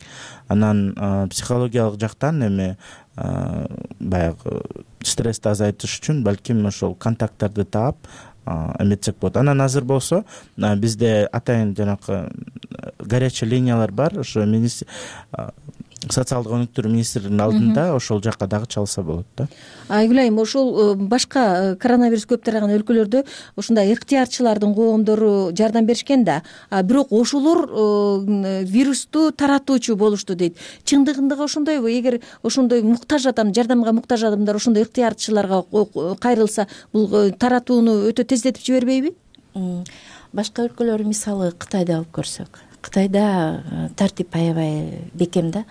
Анан психологиялык жактан эми баягы стрессти азайтыш үчүн балким ошол контакттарды таап эметсек болот. Анан азыр болсо бизде атайын жанакы горячий линиялар бар, ошо социалдык өнүктүрүү министрлигинин алдында, ошол жакка дагы чалса болот да. Айгүл айым, ошол башка коронавирус көп тараган өлкөлөрдө ушундай ыктыярчылардын коомдору жардам беришкен да, бирок ошолор вирусту таратуучу болушту дейт. Чындыгында ошондойбу? Эгер ошондой муктаж адам, жардамга муктаж адамдар ошондой ыктыярчыларга кайрылса, бул таратууну өтө тездетип жибербейби? Башка өлкөлөр, мисалы Кытайды алып көрсөк, Кытайда тартип аябай бекем да.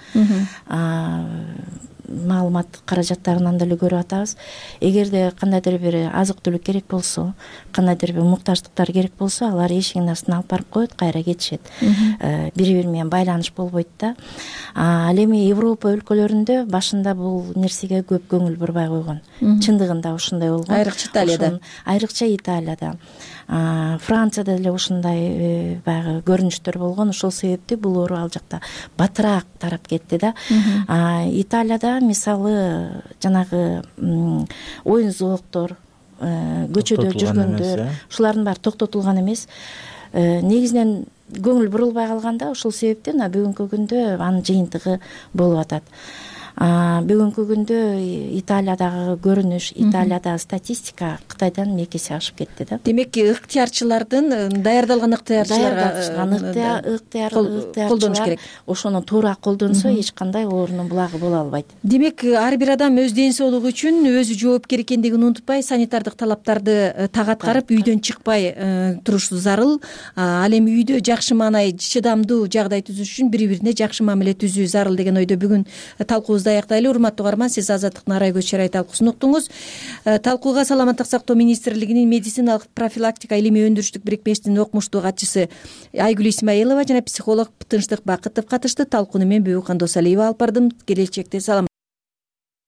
маалымат каражаттарынан деле көрүп атабыз. Эгерде кандайдыр бир азык түлүк керек болсо, кандайдыр бир муктаждыктар керек болсо, алар эшигинин астына алып барып коет, кайра кетишет. Бири бири менен байланыш болбойт да. Ал эми Европа өлкөлөрүндө башында бул нерсеге көп көңүл бурбай койгон. Чындыгында ушундай болгон. Айрыкча Италияда. Айрыкча Италияда. Францияда деле ушундай баягы көрүнүштөр болгон. Ошол себептен бул оору ал жакта батыраак тарап кетти да. Италияда мисалы жанагы оюн зоокдор, көчөдө жүргөндөр, ушулардын баары токтотулган эмес. Негизинен көңүл бурулбай калганда, ошол себептен бүгүнкү күндө анын жыйынтыгы болуп атат. Бүгүнкү күндө Италиядагы көрүнүш, Италиядагы статистика Кытайдан эки эсе ашып кетти да. Демек, ыктыярчылардын даярдалган ыктыярчыларга колдонуш керек. Ошону туура колдонсо эч кандай оорунун булагы боло албайт. Демек, ар бир адам өз ден соолугу үчүн өзү жоопкер экендигин унутпай, санитардык талаптарды так аткарып, үйдөн чыкпай турушу зарыл. Ал эми үйдө жакшы маанай, чыдамдуу жагдай түзүш үчүн бири-бирине жакшы мамиле түзүү зарыл деген ойдо бүгүн талкуубузду аяктайлы. Урматтуу угарман, сиз Азаттыктын Арай көз чарай талкуусун уктуңуз. Талкууга Саламаттык сактоо министрлигинин медициналык профилактика илимий өндүрүштүк бирикмесинин окумуштуу катчысы Айгүл Исмаилова жана психолог Тынчтык Бакытов катышты. Талкууну мен Бүбү Кандосалиева алып бардым. Келечекте салам